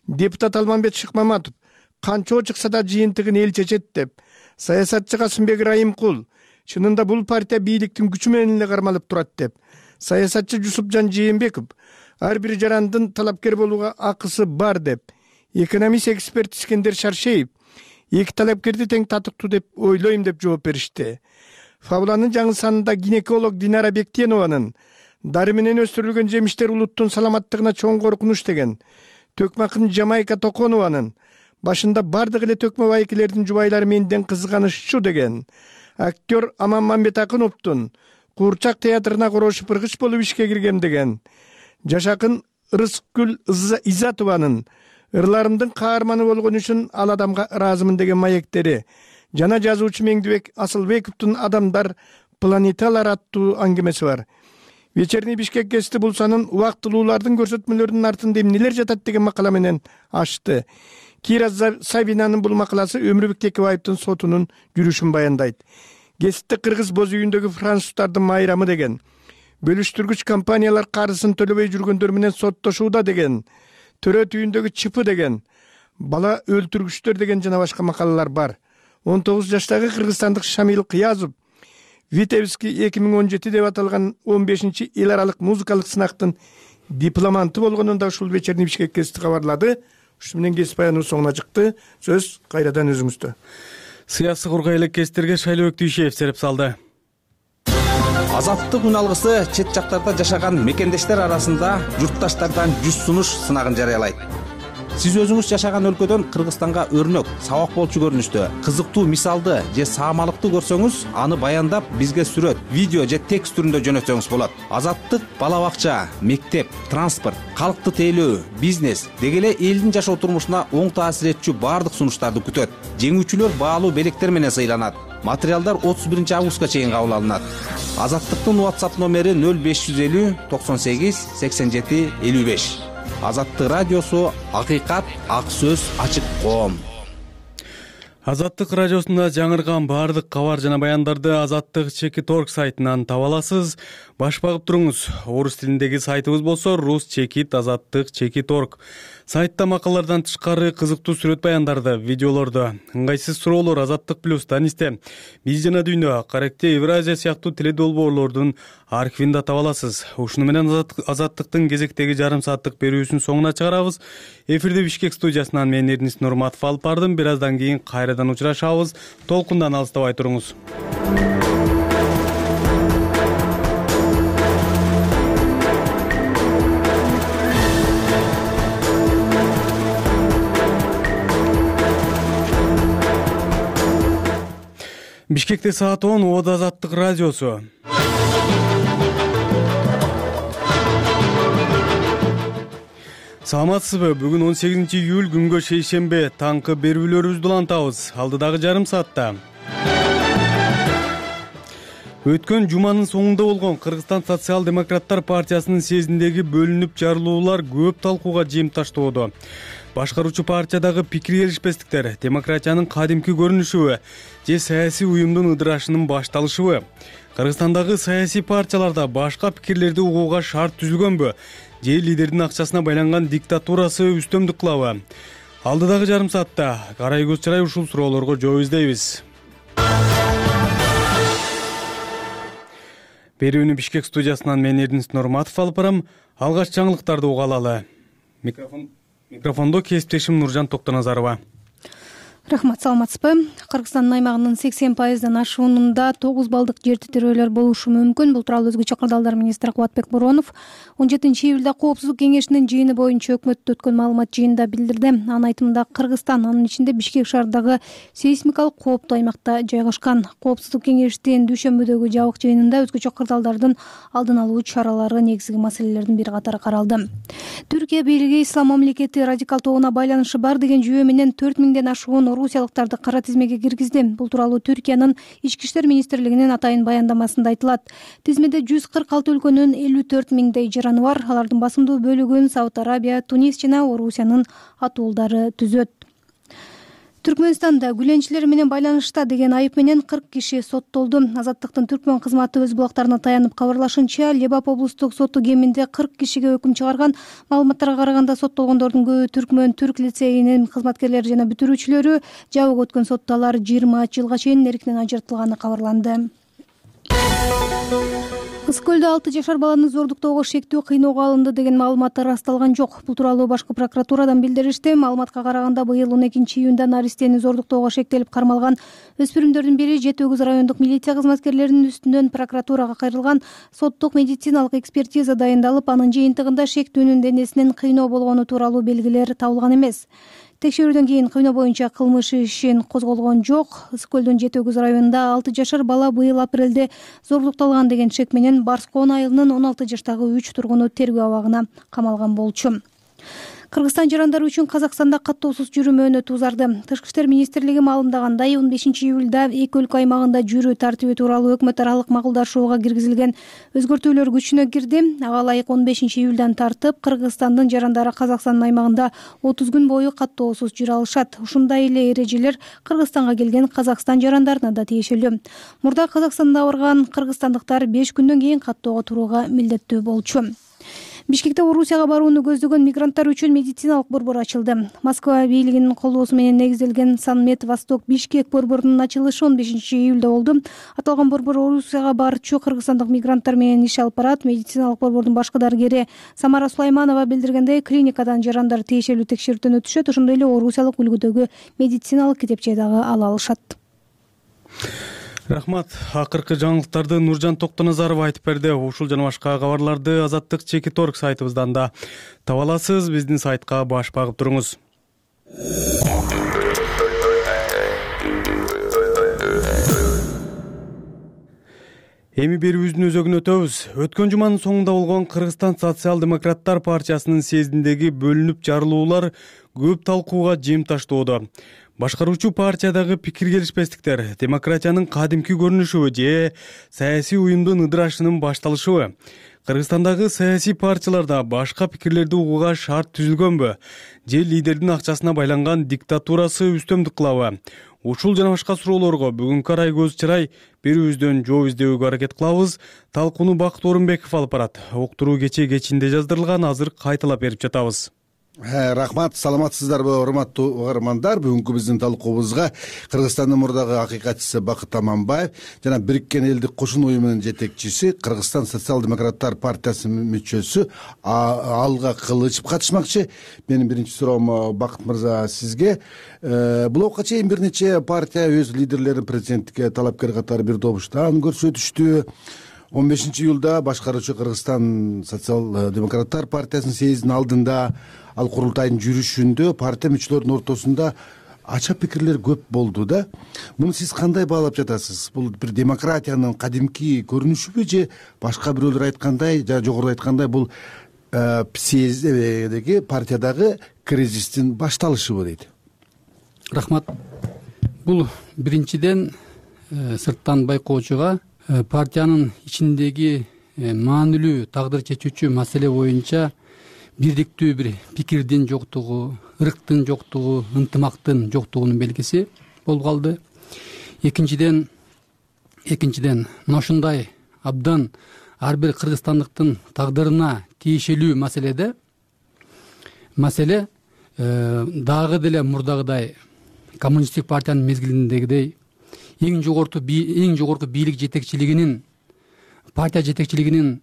Депутат Алмамбет Шыкмаматов: канча чыкса да жыйынтыгын эл чечет деп. Саясатчы Касымбек Райымкул: чынында бул партия бийликтин күчү менен эле кармалып турат деп. Саясатчы Жусупжан Жээнбеков: ар бир жарандын талапкер болууга акысы бар деп. Экономист эксперт Искендер Шаршеев: эки талапкерди тең татыктуу деп ойлойм деп жооп беришти. Фабуланын жаңы санында гинеколог Динара Бектенованын дары менен өстүрүлгөн жемиштер улуттун саламаттыгына чоң коркунуч деген, төкмө акын Жамайка Токонованын башында бардык эле төкмө байкелердин жубайлары менден кызганышчу деген, актер Аман Мамбетакыновдун Куурчак театрына корошу пыргыч болуп ишке киргем деген, жашакын Рыскүл Изатованын ырларымдын каарманы болгон үчүн ал адамга ыраазымын деген маектери жана жазуучу Меңдибек Асылбековдун Адамдар планеталар аттуу аңгемеси бар. Вечерний Бишкек гезити булсанын убактылуулардын көрсөтмөлөрүнүн артында эмнелер жатат деген макала менен ачты. Кира Савинанын бул макаласы Өмүрбек Текебаевдин сотунун жүрүшүн баяндайт. Гезитте кыргыз боз үйүндөгү француздардын майрамы деген, бөлүштүргүч компаниялар карызын төлөбөй жүргөндөр менен соттошууда деген, төрө түйүндөгү чыпы деген, бала өлтүргүчтөр деген жана башка макалалар бар. 19 жаштагы кыргызстандык Шамил Кыязов Витебский 2017 деп аталган 15-чи эл аралык музыкалык сынактын дипломанты болгонун да ушул Вечерний Бишкек гезити кабарлады. Ушу менен гезит баяныбыз соңуна чыкты. Сөз кайрадан өзүңүздө. Сыясы кургай элек гезиттерге Шайлыбек Дүйшеев сереп салды. Азаттык үн алгысы чет жактарда жашаган мекендештер арасында журтташтардан 100 сунуш сынагын жарыялайт. Сиз өзүңүз жашаган өлкөдөн Кыргызстанга өрнөк, сабак болчу көрүнүштө, кызыктуу мисалды же саамалыкты көрсөңүз, аны баяндап бизге сүрөт, видео же текст түрүндө жөнөтсөңүз болот. Азаттык бала бакча, мектеп, транспорт, калкты тейлөө, бизнес деги эле элдин жашоо турмушуна оң таасир этчү баардык сунуштарды күтөт. Жеңүүчүлөр баалуу белектер менен сыйланат. Материалдар 31 августка чейин кабыл алынат. Азаттыктын WhatsApp номери 0550 98 87 55. Азаттык радиосу, акыйкат, ак сөз, ачык коом. Азаттык радиосунда жаңырган баардык кабар жана баяндарды Азаттык Чекит.орг сайтынан таба аласыз. Баш багып туруңуз. Орус тилиндеги сайтыбыз болсо Рус Чекит Азаттык Чекит.орg. Сайтта макалалардан тышкары кызыктуу сүрөт баяндарды, видеолорду, ыңгайсыз суроолор Азаттык плюс Данисте, Биз жана дүйнө, Каректе Евразия сыяктуу теледолбоорлордун архивинде таба аласыз. Ушуну менен Азаттыктын кезектеги жарым сааттык берүүсүн соңуна чыгарабыз. Эфирде Бишкек студиясынан мен Эрнис Нурматов алып бардым. Бир аздан кийин кайрадан учурашабыз. Толкундан алыстабай туруңуз. Бишкекте саат 10, Ода Азаттык радиосу. Саламатсызбы? Бүгүн 18 июль күнгө шейшембе. Таңкы берүүлөрүбүздү улантабыз. Алдыдагы жарым саатта. Өткөн жуманын соңунда болгон Кыргызстан социал-демократтар партиясынын съездиндеги бөлүнүп жарылуулар көп талкууга жыйынтыштоодо. Башкаруучу партиядагы пикир келишпестиктер демократиянын кадимки көрүнүшүбү же саясий уюмдун ыдырашынын башталышыбы? Кыргызстандагы саясий партияларда башка пикирлерди угууга шарт түзүлгөнбү? Же лидердин акчасына байланган диктатурасы үстөмдүк кылабы? Алдыдагы жарым саатта карай көз чарай ушул суроолорго жооп издейбиз. Берүүнү Бишкек студиясынан мен Эрнис Нурматов алып барам. Алгач жаңылыктарды уга алалы. Микрофондо кесиптешим Нуржан Токтоназарова. Рахмат, саламатсызбы? Кыргызстандын аймагынын 80%дан ашуунунда 9 балдык жер титирөөлөр болушу мүмкүн. Бул тууралуу өзгөчө кырдаалдар министри Кубатбек Боронов 17 июлда Коопсуздук кеңешинин жыйыны боюнча өкмөттө өткөн маалымат жыйынында билдирди. Анын айтымында Кыргызстан анын ичинде Бишкек шаарындагы сейсмикалык кооптуу аймакта жайгашкан. Коопсуздук кеңештин дүйшөмбүдөгү жабык жыйынында өзгөчө кырдаалдардын алдын алуу чаралары негизги маселелердин бири катары каралды. Түркия бийлиги Ислам мамлекети радикал тобуна байланышы бар деген жүйө менен 4000ден ашуун орусиялыктарды кара тизмеге киргизди. Бул тууралуу Түркиянын Ички иштер министрлигинин атайын баяндамасында айтылат. Тизмеде 146 өлкөнүн 54 миңдей жараны бар. Алардын басымдуу бөлүгүн Сауд Арабия, Тунис жана Орусиянын атуулдары түзөт. Түркмөнстанда гүленчилер менен байланышта деген айып менен 40 киши соттолду. Азаттыктын Түркмөн кызматы өз булактарына таянып кабарлашынча, Лебап облустук соту кеминде 40 кишиге өкүм чыгарган. Маалыматтарга караганда соттолгондордун көбү Түркмөн Түрк лицейинин кызматкерлери жана бүтүрүүчүлөрү. Жабык өткөн сотто алар 20 жылга чейин эркинен ажыртылганы кабарланды. Ысык көлдө 6 жашар баланы зордуктоого шектүү кыйноого алынды деген маалымат ырасталган жок. Бул тууралуу башкы прокуратурадан билдиришти. Маалыматка караганда быйыл 12 июнда наристени зордуктоого шектелип кармалган өспүрүмдөрдүн бири Жети Өгүз райондук милиция кызматкерлеринин үстүнөн прокуратурага кайрылган. Соттук медициналык экспертиза дайындалып, анын жыйынтыгында шектүүнүн денесинен кыйноо болгону тууралуу белгилер табылган эмес. Текшерүүдөн кийин кыйноо боюнча кылмыш ишин козголгон жок. Ысык көлдүн Жети Өгүз районунда 6 жашар бала быйыл апрелде зордукталган деген шек менен Барскоон айылынын 16 жаштагы 3 тургуну тергөө абагына камалган болчу. Кыргызстан жарандары үчүн Казакстанда каттоосуз жүрүү мөөнөтү узарды. Тышкы иштер министрлиги маалымдагандай, 15 июлда эки өлкө аймагында жүрүү тартиби тууралуу өкмөт аралык макулдашууга киргизилген өзгөртүүлөр күчүнө кирди. Ага ылайык 15 июлдан тартып Кыргызстандын жарандары Казакстандын аймагында 30 күн бою каттоосуз жүрө алышат. Ушундай эле эрежелер Кыргызстанга келген Казакстан жарандарына да тиешелүү. Мурда Казакстанда барган кыргызстандыктар 5 күндөн кийин каттоого турууга милдеттүү болчу. Бишкекте Орусияга барууну көздөгөн мигранттар үчүн медициналык борбор ачылды. Москва бийлигинин колдоосу менен негизделген Санмед Восток Бишкек борборунун ачылышы 15 июлда болду. Аталган борбор Орусияга барчу кыргызстандык мигранттар менен иш алып барат. Медициналык борбордун башкы дарыгери Самара Сулайманова билдиргендей, клиникадан жарандар тиешелүү текшерүүдөн өтүшөт. Ошондой эле орусиялык үлгүдөгү медициналык китепче дагы ала алышат. Рахмат. Акыркы жаңылыктарды Нуржан Токтоназарова айтып берди. Ушул жана башка кабарларды Азаттык Чекит.орг сайтыбыздан да таба аласыз. Биздин сайтка баш багып туруңуз. Эми берүүбүздүн өзөгүнө өтөбүз. Өткөн жуманын соңунда болгон Кыргызстан социал-демократтар партиясынын съездиндеги бөлүнүп жарылуулар көп талкууга жыйынтыштоодо. Башкаруучу партиядагы пикир келишпестиктер демократиянын кадимки көрүнүшүбү же саясий уюмдун ыдырашынын башталышыбы? Кыргызстандагы саясий партияларда башка пикирлерди угууга шарт түзүлгөнбү же лидердин акчасына байланган диктатурасы үстөмдүк кылабы? Ушул жана башка суроолорго бүгүнкү арай көз чырай берүүбүздөн жооп издөөгө аракет кылабыз. Талкууну Бакыт Орунбеков алып барат. Уктуруу кечээ кечинде жаздырылган, азыр кайталап берип жатабыз. Рахмат, саламатсыздарбы урматтуу угармандар? Бүгүнкү биздин талкуубузга Кыргызстандын мурдагы акыйкатчысы Бакыт Аманбаев жана Бириккен Элдик Кошуна уюмунун жетекчиси, Кыргызстан социал-демократтар партиясынын мүчөсү Алга Кылычев катышмакчы. Менин биринчи суроом, Бакыт мырза, сизге. Булга чейин бир нече партия өз лидерлерин президенттикке талапкер катары бир добуштан көрсөтүштү. 15-июлда башкаруучу Кыргызстан социал-демократтар партиясынын съездинин алдында, ал курултайдын жүрүшүндө партия мүчөлөрүнүн ортосунда ача пикирлер көп болду да. Муну сиз кандай баалап жатасыз? Бул бир демократиянын кадимки көрүнүшүбү же башка бирөөлөр айткандай, жана жогоруда айткандай, бул съезддеги партиядагы кризистин башталышыбы дейт? Рахмат. Бул биринчиден сырттан байкоочуга партиянын ичиндеги маанилүү тагдыр чечүүчү маселе боюнча бирдиктүү бир пикирдин жоктугу, ырктын жоктугу, ынтымактын жоктугунун белгиси болуп калды. Экинчиден мына ушундай абдан ар бир кыргызстандыктын тагдырына тиешелүү маселе дагы деле мурдагыдай коммунисттик партиянын мезгилиндегидей эң жогорку бийлик жетекчилигинин, партия жетекчилигинин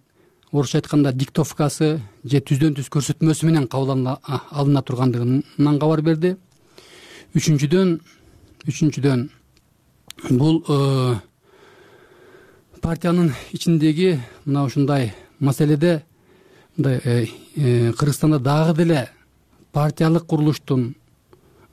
орусча айтканда диктовкасы же түздөн түз көрсөтмөсү менен кабыл алына тургандыгынан кабар берди. Үчүнчүдөн бул партиянын ичиндеги мына ушундай маселеде Кыргызстанда дагы деле партиялык курулуштун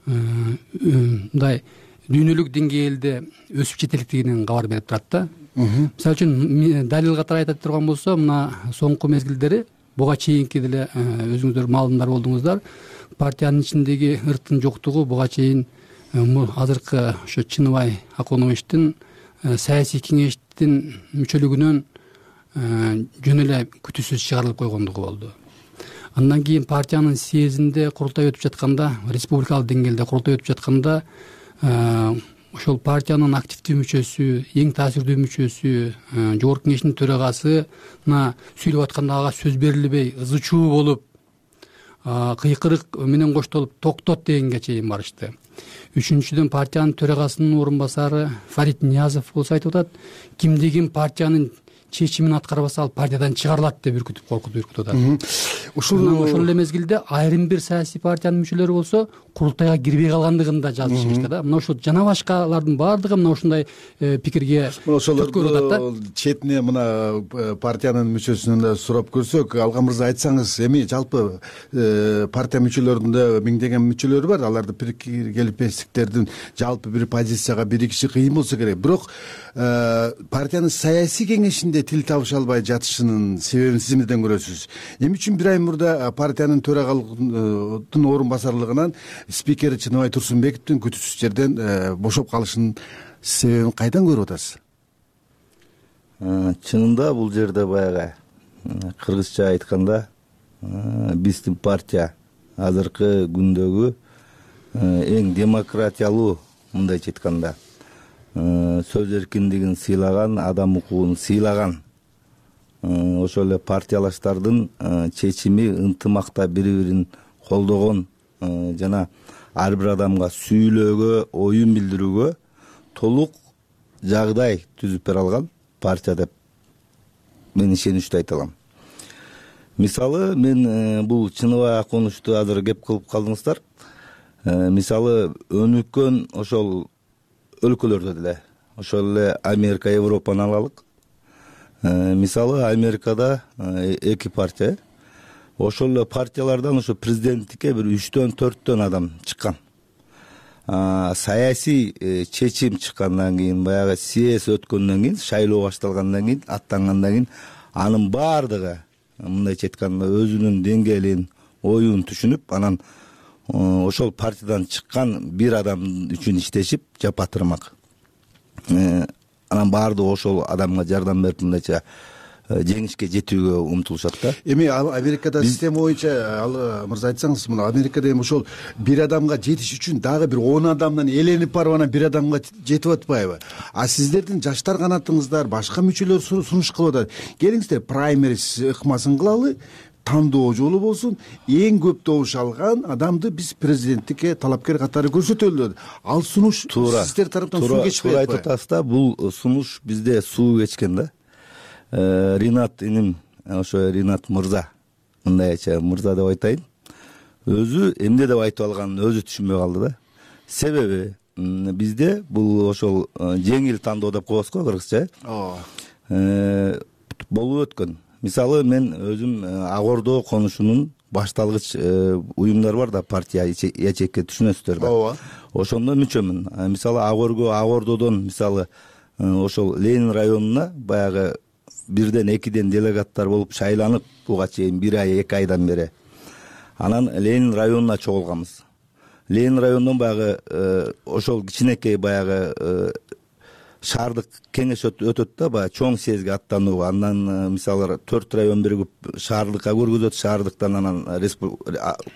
мындай дүйнөлүк деңгээлде өсүп жетеликтигинен кабар берип турат да. Мисалы үчүн далил катары айта турган болсо, мына соңку мезгилдери буга чейинки деле өзүңүздөр маалымдар болдуңуздар, партиянын ичиндеги ырктын жоктугу буга чейин азыркы ошо Чыныбай Акуновичтин саясий кеңештин мүчөлүгүнөн жөн эле күтүүсүз чыгарылып койгондугу болду. Андан кийин партиянын съездинде курултай өтүп жатканда, республикалык деңгээлде курултай өтүп жатканда, ошол партиянын активдүү мүчөсү, эң таасирдүү мүчөсү, жогорку кеңештин төрагасына сүйлөп атканда ага сөз берилбей, ызы чуу болуп, кыйкырык менен коштолуп токтот дегенге чейин барышты. Үчүнчүдөн партиянын төрагасынын орун басары Фарид Ниязов болсо айтып атат, кимди ким партиянын чечимин аткарбаса ал партиядан чыгарылат деп коркутуп атат. Ошол эле мезгилде айрым бир саясий партиянын мүчөлөрү болсо курултайга кирбей калгандыгын да жазышты да. Мына ошол жана башкалардын баардыгы мына ушундай пикирге түрткү болуп атат да. Четине мына партиянын мүчөсүнөн да сурап көрсөк, Алга мырза айтсаңыз, эми жалпы партия мүчөлөрүндө миңдеген мүчөлөр бар, аларды пикир келишпестиктердин жалпы бир позицияга биригиши кыйын болсо керек. Бирок партиянын саясий кеңешинде тил табыша албай жатышынын себебин сиз эмнеден көрөсүз? Эмне үчүн бир ай мурда партиянын төрагалыгынын орун басарлыгынан спикери Чыныбай Турсунбековдун күтүүсүз жерден бошоп калышынын себебин кайдан көрүп атасыз? Чынында бул жерде баягы кыргызча айтканда биздин партия азыркы күндөгү эң демократиялуу, мындайча айтканда сөз эркиндигин сыйлаган, адам укугун сыйлаган, ошол эле партиялаштардын чечими ынтымакта бири-бирин колдогон жана ар бир адамга сүйлөөгө, оюн билдирүүгө толук жагдай түзүп бере алган партия деп мен ишеничтүү айта алам. Мисалы, мен бул Чыныбай Акуновичту азыр кеп кылып калдыңыздар. Мисалы, өнүккөн ошол өлкөлөрдө деле, ошол эле Америка, Европаны алалык. Мисалы, Америкада 2 партия, ошол эле партиялардан ошо президенттикке бир 3-4 адам чыккан. Саясий чечим чыккандан кийин, баягы съезд өткөндөн кийин, шайлоо башталгандан кийин, аттангандан кийин, анын баардыгы мындайча айтканда өзүнүн деңгээлин, оюн түшүнүп, анан ошол партиядан чыккан бир адам үчүн иштешип, жапатырмак. Анан баардыгы ошол адамга жардам берип, мындайча жеңишке жетүүгө умтулушат да. Эми ал Америкада система боюнча, ал мырза айтсаңыз, мына Америкада эми ошол бир адамга жетиш үчүн дагы бир 10 адамдан эленип барып анан бир адамга жетип атпайбы? А сиздердин жаштар канатыңыздар, башка мүчөлөр сунуш кылып атат. Келиңиздер, праймерис ыкмасын кылалы, тандоо жолу болсун, эң көп добуш алган адамды биз президенттикке талапкер катары көрсөтөлү. Ал сунуш сиздер тараптан суу кечпейт. Туура айтып атасыз да, бул сунуш бизде суу кечкен да. Ринат иним, ошо Ринат мырза, мындай айтчу, мырза деп айтайын, өзү эмне деп айтып алганын өзү түшүнбөй калды да. Себеби бизде бул ошол жеңил тандоо деп коебуз го кыргызча. Болуп өткөн. Мисалы мен өзүм Ак Ордо конушунун башталгыч уюмдар бар да, партия ячейке, түшүнөсүздөр да. Ооба. Ошондо мүчөмүн. Мисалы Ак Ордодон мисалы ошол Ленин районуна баягы 1-2 делегаттар болуп шайланып буга чейин 1 ай 2 айдан бери. Анан Ленин районуна чогулганбыз. Ленин районунан баягы ошол кичинекей баягы шаардык кеңеш өтөт да, баягы чоң съездге аттанууга. Андан мисалы 4 район биригип шаардыкка көргөзөт, шаардыктан анан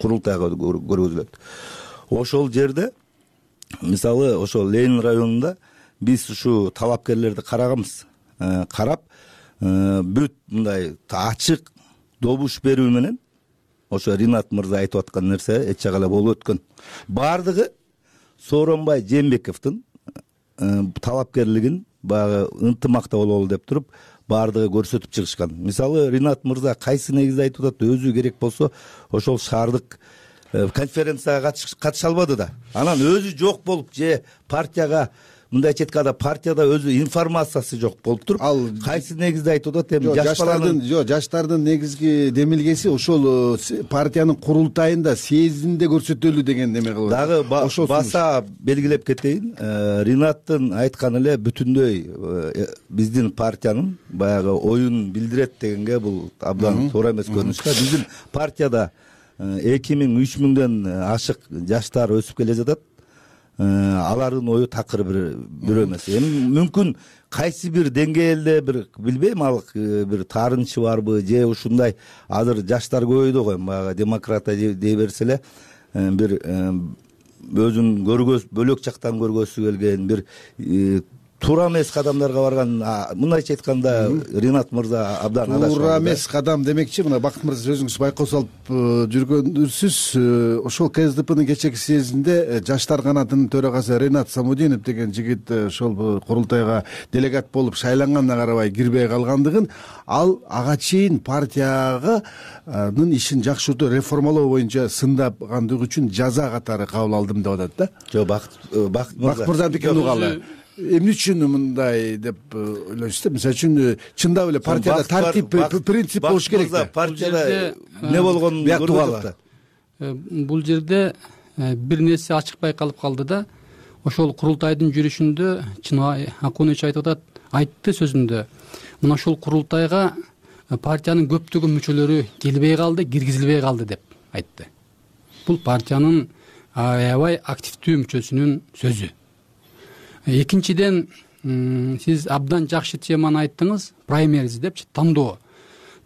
курултайга көргөзүлөт. Ошол жерде мисалы ошол Ленин районунда биз ушу талапкерлерди караганбыз. Карап бүт мындай ачык добуш берүү менен ошо Ринат мырза айтып аткан нерсе эч жагы эле болуп өткөн. Бардыгы Сооронбай Жээнбековдун талапкерлигин баягы ынтымакта бололу деп туруп бардыгы көрсөтүп чыгышкан. Мисалы Ринат мырза кайсы негизде айтып атат, өзү керек болсо ошол шаардык конференцияга катыша албады да. Анан өзү жок болуп же партияга мындай четкада партияда өзү информациясы жок болуп туруп, ал кайсы негизде айтып атат? Эми жаштардын негизги демилгеси ошол партиянын курултайында, съездинде көрсөтөлү деген неме кылып. Дагы баса белгилеп кетейин, Ринаттын айтканы эле бүтүндөй биздин партиянын баягы оюн билдирет дегенге бул абдан туура эмес көрүнүш. Биздин партияда 2000-3000ден ашык жаштар өсүп келе жатат. Алардын ою такыр бир эмес. Эми мүмкүн кайсы бир деңгээлде бир билбейм, ал бир таарынчы барбы же ушундай азыр жаштар көбөйдү го, баягы демократия дей берсе эле бир өзүн бөлөк жактан көргөсү келген бир туура эмес кадамдарга барган. Мындайча айтканда Ринат мырза абдан адашып. Туура эмес кадам демекчи, мына Бакыт мырза өзүңүз байкоо салып жүргөнсүз. Ошол КСДПнын кечээки съездинде жаштар канатынын төрагасы Ринат Самудинов деген жигит ошол курултайга делегат болуп шайланганына карабай кирбей калгандыгын, ал ага чейин партиянын ишин жакшыртуу, реформалоо боюнча сындагандыгы үчүн жаза катары кабыл алдым деп атат да. Жок, Бакыт мырзанын пикирин угалы. Эмне үчүн мындай деп ойлойсуздар? Мисалы үчүн чындап эле партияда тартип, принцип болуш керек да. Партияда эмне болгонун көргөзөт да. Бул жерде бир нерсе ачык байкалып калды да. Ошол курултайдын жүрүшүндө Чыныбай Акунович айтып атат, айтты сөзүндө. Мына ошол курултайга партиянын көптөгөн мүчөлөрү келбей калды, киргизилбей калды деп айтты. Бул партиянын аябай активдүү мүчөсүнүн сөзү. Экинчиден, сиз абдан жакшы теманы айттыңыз, праймериз депчи, тандоо.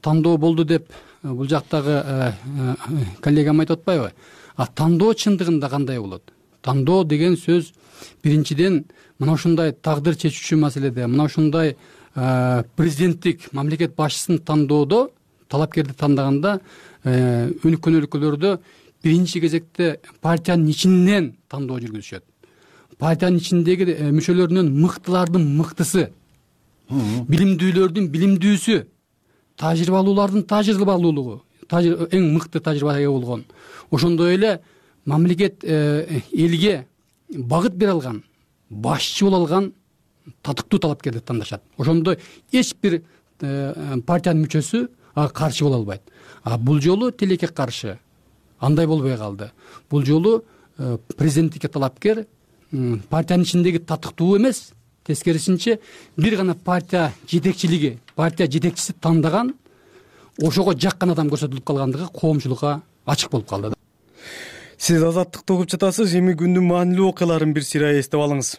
Тандоо болду деп бул жактагы коллегам айтып атпайбы? Тандоо чындыгында кандай болот? Тандоо деген сөз биринчиден мына ушундай тагдыр чечүүчү маселеде, мына ушундай президенттик мамлекет башчысын тандоодо, талапкерди тандаганда өнүккөн өлкөлөрдө биринчи кезекте партиянын ичинен тандоо жүргүзүшөт. Партиянын ичиндеги мүчөлөрүнөн мыктылардын мыктысы, билимдүүлөрдүн билимдүүсү, тажрыйбалуулардын тажрыйбалуулугу, эң мыкты тажрыйбага ээ болгон. Ошондой эле мамлекет элге багыт бере алган, башчы боло алган татыктуу талапкерди тандашат. Ошондо эч бир партиянын мүчөсү ага каршы боло албайт. Бул жолу тилекке каршы андай болбой калды. Бул жолу президенттикке талапкер партиянын ичиндеги татыктуу эмес, тескерисинче бир гана партия жетекчилиги, партия жетекчиси тандаган, ошого жаккан адам көрсөтүлүп калгандыгы коомчулукка ачык болуп калды. Сиз Азаттыкты угуп жатасыз. Эми күндүн маанилүү окуяларын бир сыйра эстеп алыңыз.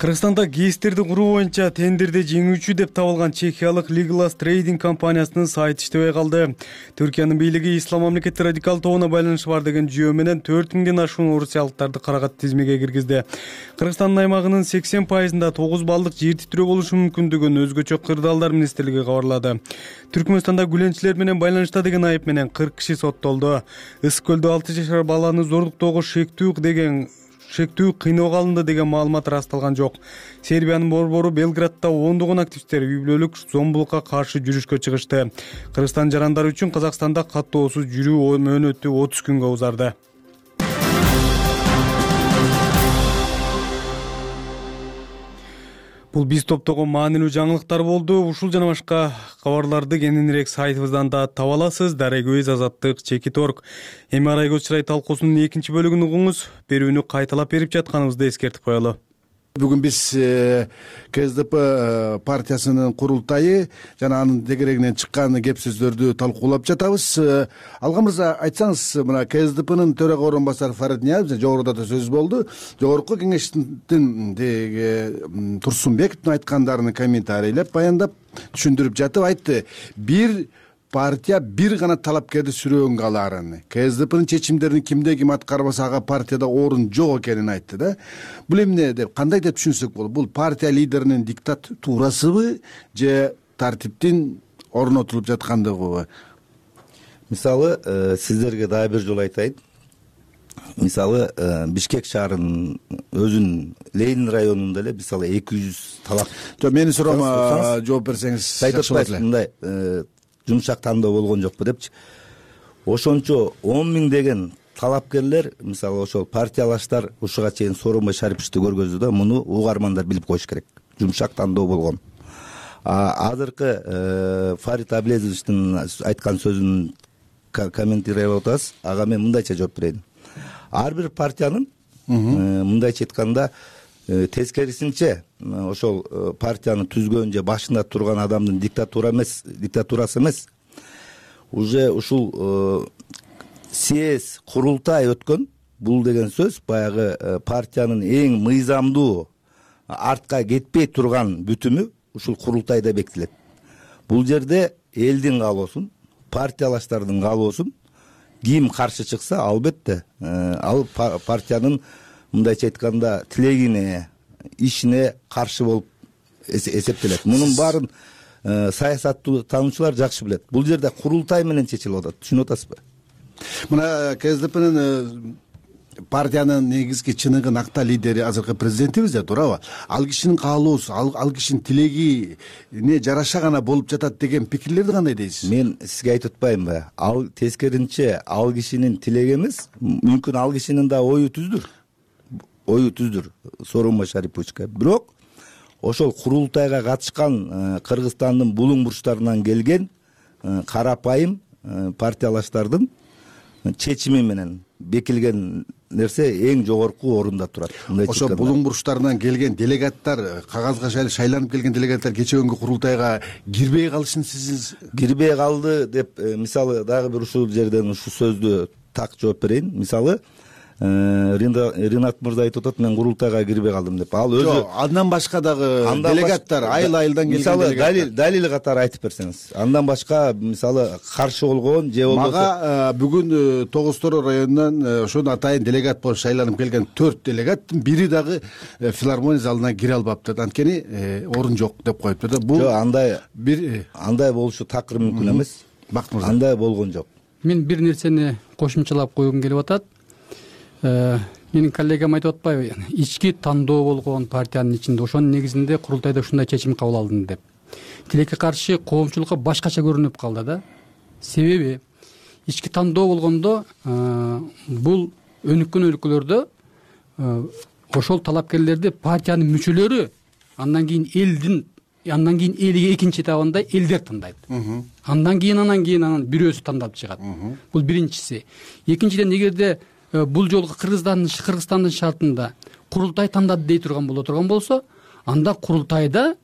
Кыргызстанда ГЭСтерди куруу боюнча тендерди жеңүүчү деп табылган чехиялык Legalas Trading компаниясынын сайты иштебей калды. Түркиянын бийлиги ислам мамлекети радикал тобуна байланышы бар деген жүйө менен 4000ден ашуун орусиялыктарды карагат тизмеге киргизди. Кыргызстандын аймагынын 80%-ында 9 баллдык жер титирөө болушу мүмкүндүгүн өзгөчө кырдаалдар министрлиги кабарлады. Түркмөнстанда гүленчилер менен байланышта деген айып менен 40 киши соттолду. Ысык көлдө 6 жашар баланы зордуктоого шектүү кыйноого алынды деген маалымат ырасталган жок. Сербиянын борбору Белградда ондогон активисттер үй бүлөлүк зомбулукка каршы жүрүшкө чыгышты. Кыргызстан жарандары үчүн Казакстанда каттоосуз жүрүү мөөнөтү 30 күнгө узарды. Бул биз топтогон маанилүү жаңылыктар болду. Ушул жана башка кабарларды кененирээк сайтыбыздан да таба аласыз. Дарек Көз, Азаттык, Чекит орг. Эми Арай Көз чырай талкуусунун 2-бөлүгүн угуңуз. Берүүнү кайталап берип жатканыбызды эскертип коелу. Бүгүн биз КСДП партиясынын курултайы жана анын тегерегинен чыккан кеп сөздөрдү талкуулап жатабыз. Алган мырза, айтсаңыз, мына КСДПнын төрага орун басары Фарид Ниязов жогоруда да сөз болду. Жогорку кеңештин Турсунбековдун айткандарын комментарийлеп, баяндап, түшүндүрүп жатып айтты. Бир партия бир гана талапкерди сүрөөнгө алаарын, КСДПнын чечимдерин кимде ким аткарбаса ага партияда орун жок экенин айтты да. Бул эмне деп, кандай деп түшүнсөк болот? Бул партия лидеринин диктатурасыбы же тартиптин орнотулуп жаткандыгыбы? Мисалы, сиздерге дагы бир жолу айтайын. Мисалы, Бишкек шаарынын өзүнүн Ленин районунда эле мисалы 200 талап. Жок, менин суроома жооп берсеңиз жакшы болот эле. Мындай жумшак тандоо болгон жокпу депчи. Ошончо 10 000 деген талапкерлер, мисалы ошол партиялаштар ушуга чейин Сооронбай Шариповичти көргөздү да, муну угармандар билип коюш керек. Жумшак тандоо болгон. Азыркы Фарид Аблезовичтин айткан сөзүн комментировать атабыз. Ага мен мындайча жооп берейин. Ар бир партиянын мындайча айтканда тескерисинче ошол партияны түзгөн же башында турган адамдын диктатурасы эмес, уже ушул съезд курултай өткөн. Бул деген сөз баягы партиянын эң мыйзамдуу артка кетпей турган бүтүмү ушул курултайда бекитилет. Бул жерде элдин каалоосун, партиялаштардын каалоосун ким каршы чыкса, албетте ал партиянын мындайча айтканда тилегине, ишине каршы болуп эсептелет. Мунун баарын саясаттуу таануучулар жакшы билет. Бул жерде курултай менен чечилип атат. Түшүнүп атасызбы? Мына КСДПнын партиянын негизги чыныгы накта лидери азыркы президентибиз да, туурабы? Ал кишинин каалоосу, ал кишинин тилегине жараша гана болуп жатат деген пикирлерди кандай дейсиз? Мен сизге айтып атпаймынбы? Ал тескеринче ал кишинин тилеги эмес, мүмкүн ал кишинин да ою түздүр. Сооронбай Шариповичке. Бирок ошол курултайга катышкан Кыргызстандын булуң бурчтарынан келген карапайым партиялаштардын чечими менен бекилген нерсе эң жогорку орунда турат. Ошо булуң бурчтарынан келген делегаттар, кагазга шайланып келген делегаттар кече күнгү курултайга кирбей калышын сиз кирбей калды деп, мисалы дагы бир ушул жерден ушул сөздү так жооп берейин. Мисалы Ринат мырза айтып атат, мен курултайга кирбей калдым деп. Ал өзү жок, андан башка дагы делегаттар айыл-айылдан келген делегаттар. Мисалы далил катары айтып берсеңиз. Андан башка мисалы каршы болгон же болбосо мага бүгүн Тогуз Тороо районунан ошону атайын делегат болуп шайланып келген 4 делегаттын бири дагы филармония залына кире албаптыр. Анткени орун жок деп коюптур да. Бул андай болушу такыр мүмкүн эмес. Бакыт мырза, андай болгон жок. Мен бир нерсени кошумчалап койгум келип атат. Менин коллегам айтып атпайбы, ички тандоо болгон партиянын ичинде, ошонун негизинде курултайда ушундай чечим кабыл алдым деп. Тилекке каршы коомчулукка башкача көрүнүп калды да. Себеби ички тандоо болгондо бул өнүккөн өлкөлөрдө ошол талапкерлерди партиянын мүчөлөрү, андан кийин элиге экинчи этабында элдер тандайт. Андан кийин бирөөсү тандап чыгат. Бул биринчиси. Экинчиден, эгерде бул жолку Кыргызстандын шартында курултай тандады дей турган болсо, анда курултайда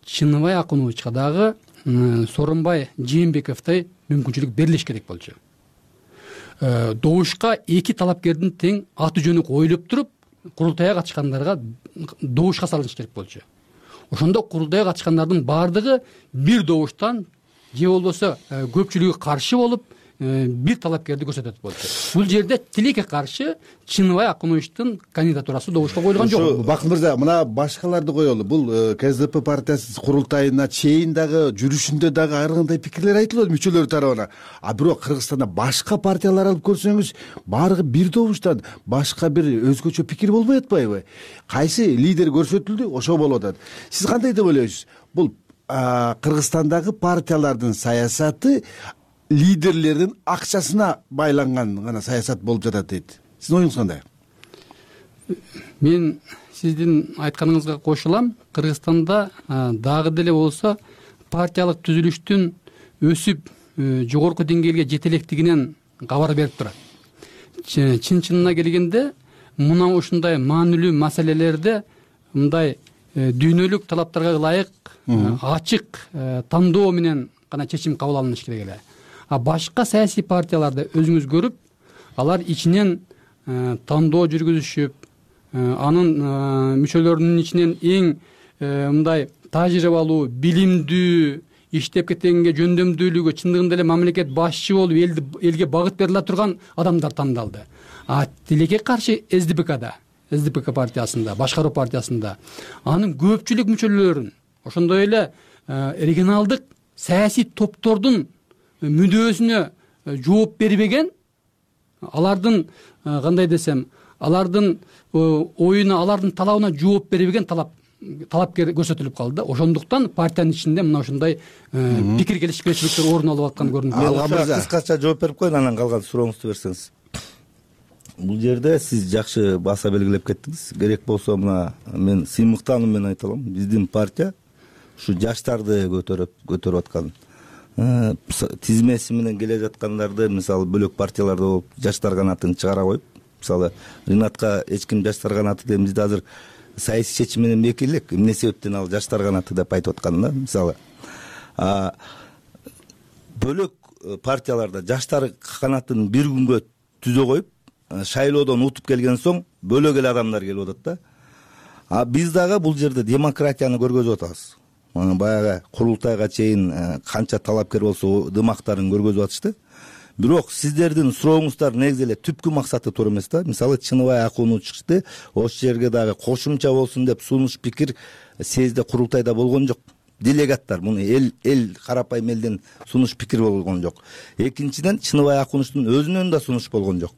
Чыныбай Акуновичка дагы Сооронбай Жээнбековдой мүмкүнчүлүк берилиш керек болчу. Добушка эки талапкердин тең аты жөнү коюлуп туруп, курултайга катышкандарга добушка салыныш керек болчу. Ошондо курултайга катышкандардын баардыгы бир добуштан же болбосо көпчүлүгү каршы болуп бир талапкерди көрсөтөт болчу. Бул жерде тилекке каршы Чыныбай Акуновичтин кандидатурасы добушка коюлган жок. Бакыт мырза, мына башкаларды коелу. Бул КСДП партиясы курултайына чейин дагы жүрүшүндө дагы ар кандай пикирлер айтылат мүчөлөр тарабынан. А бирок Кыргызстанда башка партиялар алып көрсөңүз, баардыгы бир добуштан башка бир өзгөчө пикир болбой атпайбы? Кайсы лидер көрсөтүлдү, ошо болуп атат. Сиз кандай деп ойлойсуз? Бул Кыргызстандагы партиялардын саясаты лидерлердин акчасына байланган гана саясат болуп жатат дейт. Сиздин оюңуз кандай? Мен сиздин айтканыңызга кошулам. Кыргызстанда дагы деле болсо партиялык түзүлүштүн өсүп жогорку деңгээлге жете электигинен кабар берип турат. Чын-чынына келгенде мына ушундай маанилүү маселелерде мындай дүйнөлүк талаптарга ылайык ачык тандоо менен гана чечим кабыл алыныш керек эле. А башка саясий партияларды өзүңүз көрүп, алар ичинен тандоо жүргүзүшүп, анын мүчөлөрүнүн ичинен эң мындай тажрыйбалуу, билимдүү, иштеп кеткенге жөндөмдүүлүгү, чындыгында эле мамлекет башчы болуп элге багыт бере ала турган адамдар тандалды. А тилекке каршы СДПК партиясында, башкаруу партиясында анын көпчүлүк мүчөлөрүн, ошондой эле регионалдык саясий топтордун мүдөөсүнө жооп бербеген, алардын кандай десем, алардын оюна, алардын талабына жооп бербеген талапкер көрсөтүлүп калды. Ошондуктан партиянын ичинде мына ошондой пикир келишпешүүлүктөр орун алып аткан көрүнөт. Кыскача жооп берип коеюн, анан калган сурооңузду берсеңиз. Бул жерде сиз жакшы баса белгилеп кеттиңиз. Керек болсо мына мен сыймыктануу менен айта алам. Биздин партия ушу жаштарды көтөрүп аткан. Тизмеси менен келе жаткандарды, мисалы бөлөк партияларда болуп, жаштар канатын чыгара коюп, мисалы Ринатка эч ким жаштар канаты деп бизде азыр саясий чечим менен бекер элек. Эмне себептен ал жаштар канаты деп айтып аткан да, мисалы. Бөлөк партияларда жаштар канатын бир күнгө түзө коюп, шайлоодон утуп келген соң бөлөк эле адамдар келип атат да. А биз дагы бул жерде демократияны көргөзүп атабыз. Баягы курултайга чейин канча талапкер болсо дымактарын көргөзүп атышты. Бирок сиздердин сурооңуздар негизи эле түпкү максаты туура эмес да. Мисалы Чыныбай Акунович чыкты, ошол жерге дагы кошумча болсун деп сунуш пикир съезде курултайда болгон жок. Делегаттар, муну эл карапайым элден сунуш пикир болгон жок. Экинчиден Чыныбай Акуновичтин өзүнөн да сунуш болгон жок.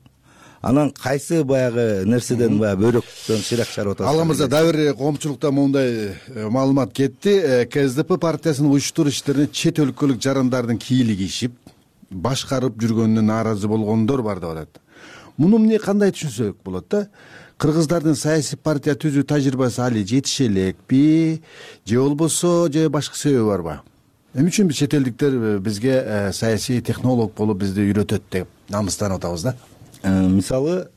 Анан кайсы баягы нерседен бөйрөктөн ширак чыгарып атасыз? Алла мырза, дагы бир коомчулукта моундай маалымат кетти. КСДП партиясынын уюштуруш иштерине чет өлкөлүк жарандардын кийили кийишип, башкарып жүргөнүнө нааразы болгондор бар деп атат. Муну эмне кандай түшүнсөк болот да? Кыргыздардын саясий партия түзүү тажрыйбасы али жетише элекпи, же болбосо же башка себеби барбы? Эмне үчүн биз чет элдиктер бизге саясий технолог болуп бизди үйрөтөт деп намыстанып атабыз да? Мисалы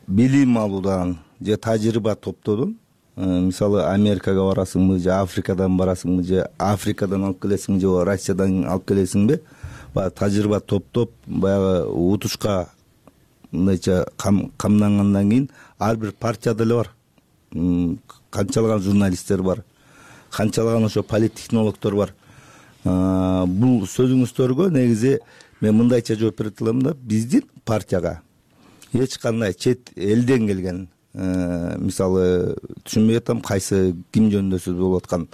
билим алуудан же тажрыйба топтоодон, мисалы Америкага барасыңбы, же Африкадан барасыңбы, же Африкадан алып келесиң, же Россиядан алып келесиңби? Баягы тажрыйба топтоп, баягы утушка мындайча камдангандан кийин ар бир партияда эле бар. Канчалаган журналисттер бар, канчалаган ошо политтехнологдор бар. Бул сөзүңүздөргө негизи мен мындайча жооп бере алам да, биздин партияга эч кандай чет элден келген, мисалы түшүнбөй атам кайсы ким жөнүндө сөз болуп аткан,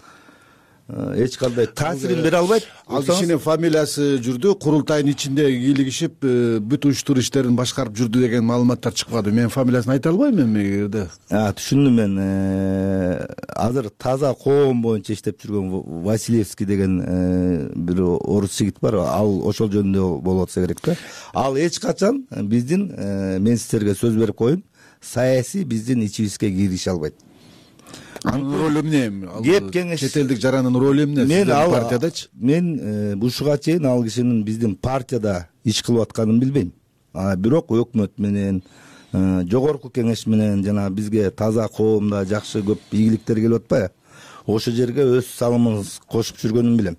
эч кандай таасирин бере албайт. Ал кишинин фамилиясы жүрдү, курултайдын ичинде кийлигишип бүт уюштуруу иштерин башкарып жүрдү деген маалыматтар чыкпады. Мен фамилиясын айта албайм эми. Түшүндүм мен. Азыр таза коом боюнча иштеп жүргөн Василевский деген бир орус жигит бар. Ал ошол жөнүндө болуп атса керек да. Ал эч качан биздин, мен сиздерге сөз берип коеюн, саясий биздин ичибизге кириши албайт. Анын ролу эмне? Чет элдик жарандын ролу эмне сиздердин партиядачы? Мен ушуга чейин ал кишинин биздин партияда иш кылып атканын билбейм. Бирок өкмөт менен, жогорку кеңеш менен жана бизге таза коомдо жакшы көп ийгиликтер келип атпайбы? Ошол жерге өз салымыбыз кошуп жүргөнүн билем.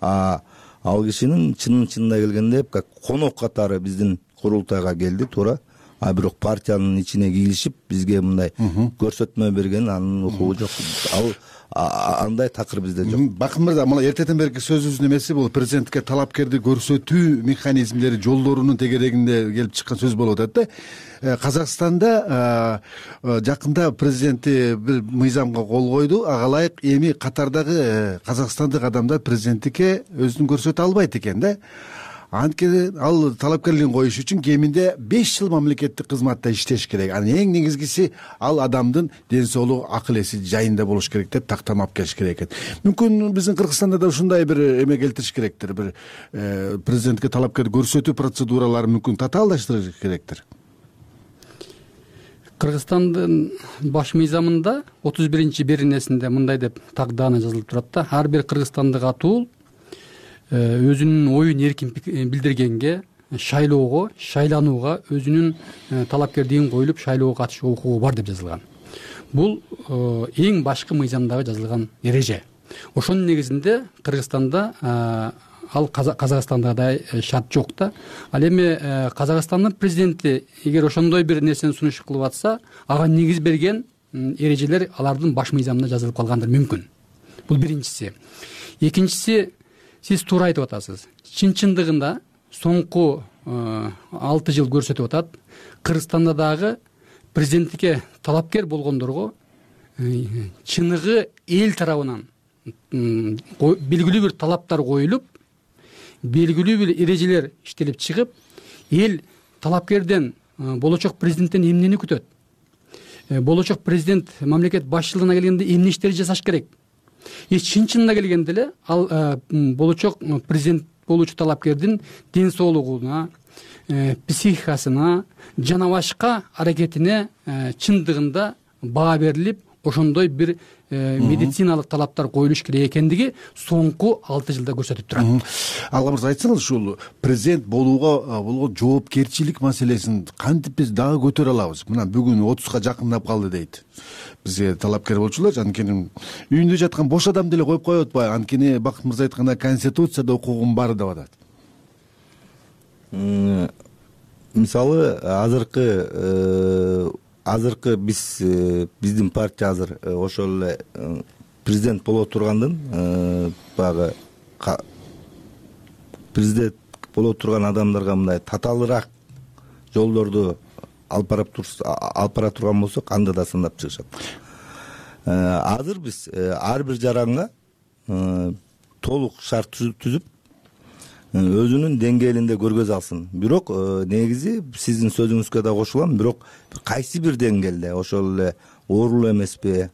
Ал кишинин чынында келгенде конок катары биздин курултайга келди, туура. а бирок партиянын ичине кийлишип бизге мындай көрсөтмө берген анын укугу жок. Ал андай такыр бизде жок. Бакын мырза, мына эртеден берки сөзүбүздүн эмеси бул президентке талапкерди көрсөтүү механизмдери, жолдорунун тегерегинде келип чыккан сөз болуп атат да. Казакстанда жакында президенти бир мыйзамга кол койду. Ага ылайык эми катардагы казакстандык адамдар президенттикке өзүн көрсөтө албайт экен да. Анткени ал талапкерлигин коюш үчүн кеминде 5 жыл мамлекеттик кызматта иштеш керек. Анын эң негизгиси ал адамдын ден соолугу, акыл эси жайында болуш керек деп тактама алып келиш керек экен. Мүмкүн биздин Кыргызстанда да ушундай бир эме келтириш керектир. Бир президентке талапкерди көрсөтүү процедуралары мүмкүн татаалдаштырыш керектир. Кыргызстандын баш мыйзамында 31-беренесинде мындай деп тагдана жазылып турат да. Ар бир кыргызстандык атуул өзүнүн оюн эркин билдиргенге, шайлоого, шайланууга, өзүнүн талапкердигин коюлуп шайлоого катышууга укугу бар деп жазылган. Бул эң башкы мыйзамдагы жазылган эреже. Ошонун негизинде Кыргызстанда ал Казакстандагыдай шарт жок да. Ал эми Казакстандын президенти эгер ошондой бир нерсени сунуш кылып атса, ага негиз берген эрежелер алардын баш мыйзамында жазылып калгандыр мүмкүн. Бул биринчиси. Экинчиси, сиз туура айтып атасыз. Чын-чындыгында соңку 6 жыл көрсөтүп атат. Кыргызстанда дагы президенттикке талапкер болгондорго чыныгы эл тарабынан белгилүү бир талаптар коюлуп, белгилүү бир эрежелер иштелип чыгып, эл талапкерден, болочок президенттен эмнени күтөт? Болочок президент мамлекет башчылыгына келгенде эмне иштерди жасаш керек? Чын-чынына келгенде эле ал болочок президент болуучу талапкердин ден соолугуна, психикасына жана башка аракетине чындыгында баа берилип, ошондой бир медициналык талаптар коюлуш керек экендиги соңку 6 жылда көрсөтүп турат. Алга мырза, айтсаңыз, ушул президент болууга болгон жоопкерчилик маселесин кантип биз дагы көтөрө алабыз? Мына бүгүн 30га жакындап калды дейт. Бизге талапкер болчулар, анткени үйүндө жаткан бош адам деле коюп коет атпайбы? Анткени Бакыт мырза айткандай конституцияда укугум бар деп атат. Мисалы, азыркы биздин партия азыр ошол эле президент боло тургандын баягы президент боло турган адамдарга мындай татаалыраак жолдорду алып бара турган болсок, анда да сындап чыгышат. Азыр биз ар бир жаранга толук шарт түзүп өзүнүн деңгээлинде көргөзө алсын. Бирок негизи сиздин сөзүңүзгө да кошулам, бирок кайсы бир деңгээлде, ошол эле оорулуу эмеспи,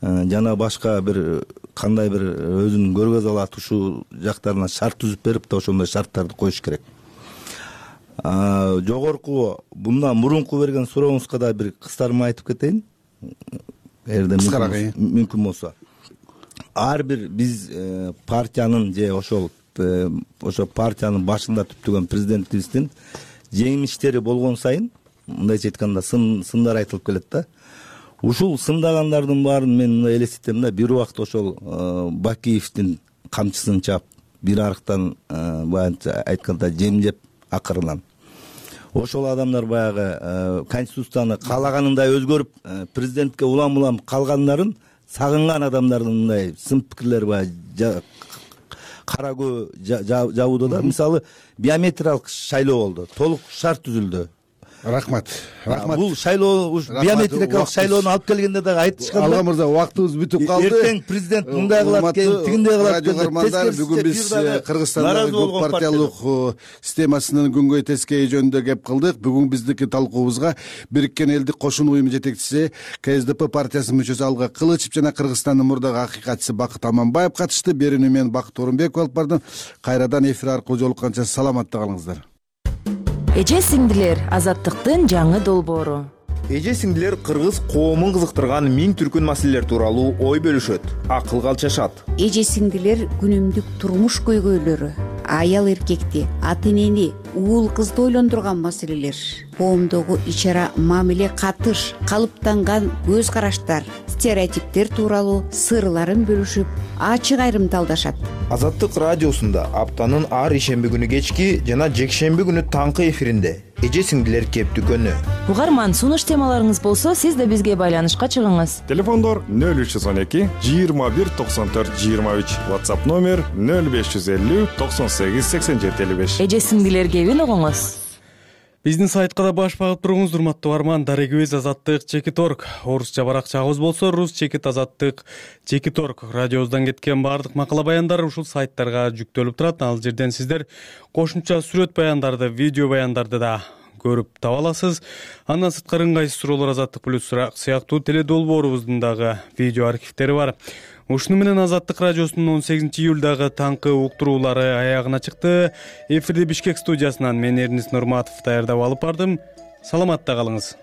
жана башка бир кандай бир өзүн көргөзө алат, ушул жактарына шарт түзүп берип да ошондой шарттарды коюш керек. Жогорку мындан мурунку берген сурооңузга да бир кыстарма айтып кетейин, эгерде мүмкүн болсо. Ар бир биз партиянын же ошо партиянын башында түптөгөн президентибиздин жеңилиштери болгон сайын, мындайча айтканда, сындар айтылып келет да. Ушул сындагандардын баарын мен мындай элестетем да, бир убакта ошол Бакиевдин камчысын чаап, бир арыктан баягы айтканда жемжеп акырынан. Ошол адамдар баягы конституцияны каалаганындай өзгөрүп, президентке улам калгандарын сагынган адамдардын мындай сын пикирлери баягы карагөө жабууда да. Мисалы, биометриялык шайлоо болду, толук шарт түзүлдү. Рахмат. Бул шайлоо биометрикалык шайлоону алып келгенде дагы айтышкан. Алга мырза, убактыбыз бүтүп калды. Эртең президент мындай кылат экен, тигиндей кылат экен. Бүгүн биз Кыргызстандагы көп партиялык системасынын күнгөй тескейи жөнүндө кеп кылдык. Бүгүн биздики талкуубузга Бириккен Элдик Кошун уюму жетекчиси, КСДП партиясынын мүчөсү Алга Кылычев жана Кыргызстандын мурдагы акыйкатчысы Бакыт Аманбаев катышты. Берүүнү мен Бакыт Орунбеков алып бардым. Кайрадан эфир аркылуу жолукканча саламатта калыңыздар. Эже сиңдилер, азаттыктын жаңы долбоору. Эже сиңдилер кыргыз коомун кызыктырган миң түркүн маселелер тууралуу ой бөлүшөт, акылга алчашат. Эже сиңдилер күнүмдүк турмуш көйгөйлөрү, аял эркекти, ата энени, уул кызды ойлондурган маселелер, коомдогу ичара мамиле катыш, калыптанган көз караштар, стереотиптер тууралуу сырларын бөлүшүп, ачык айрымталдашат. Азаттык радиосунда аптанын ар ишемби күнү кечки жана жекшемби күнү таңкы эфиринде эже сиңдилер кеп дүкөнү. угарман сунуш темаларыңыз болсо сиз да бизге байланышка чыгыңыз. Телефондор 0312 21 94 23, WhatsApp номер 0550 98 87 55. Эже сиңдилер кебин угуңуз. Биздин сайтка да баш багып туруңуз, урматтуу угарман. Дарегибиз azattik.org. Орусча баракчабыз болсо rus.azattik.org. Радиобуздан кеткен баардык макала баяндар ушул сайттарга жүктөлүп турат. Ал жерден сиздер кошумча сүрөт баяндарды, видео баяндарды да көрүп таба аласыз. Андан сырткары ыңгайсыз суроолор Азаттык плюс сыяктуу теле долбоорубуздун дагы видео архивдери бар. Ушуну менен Азаттык радиосунун 18-июлдагы таңкы уктуруулары аягына чыкты. Эфирди Бишкек студиясынан мен Эрнис Нурматов даярдап алып бардым. Саламатта калыңыз.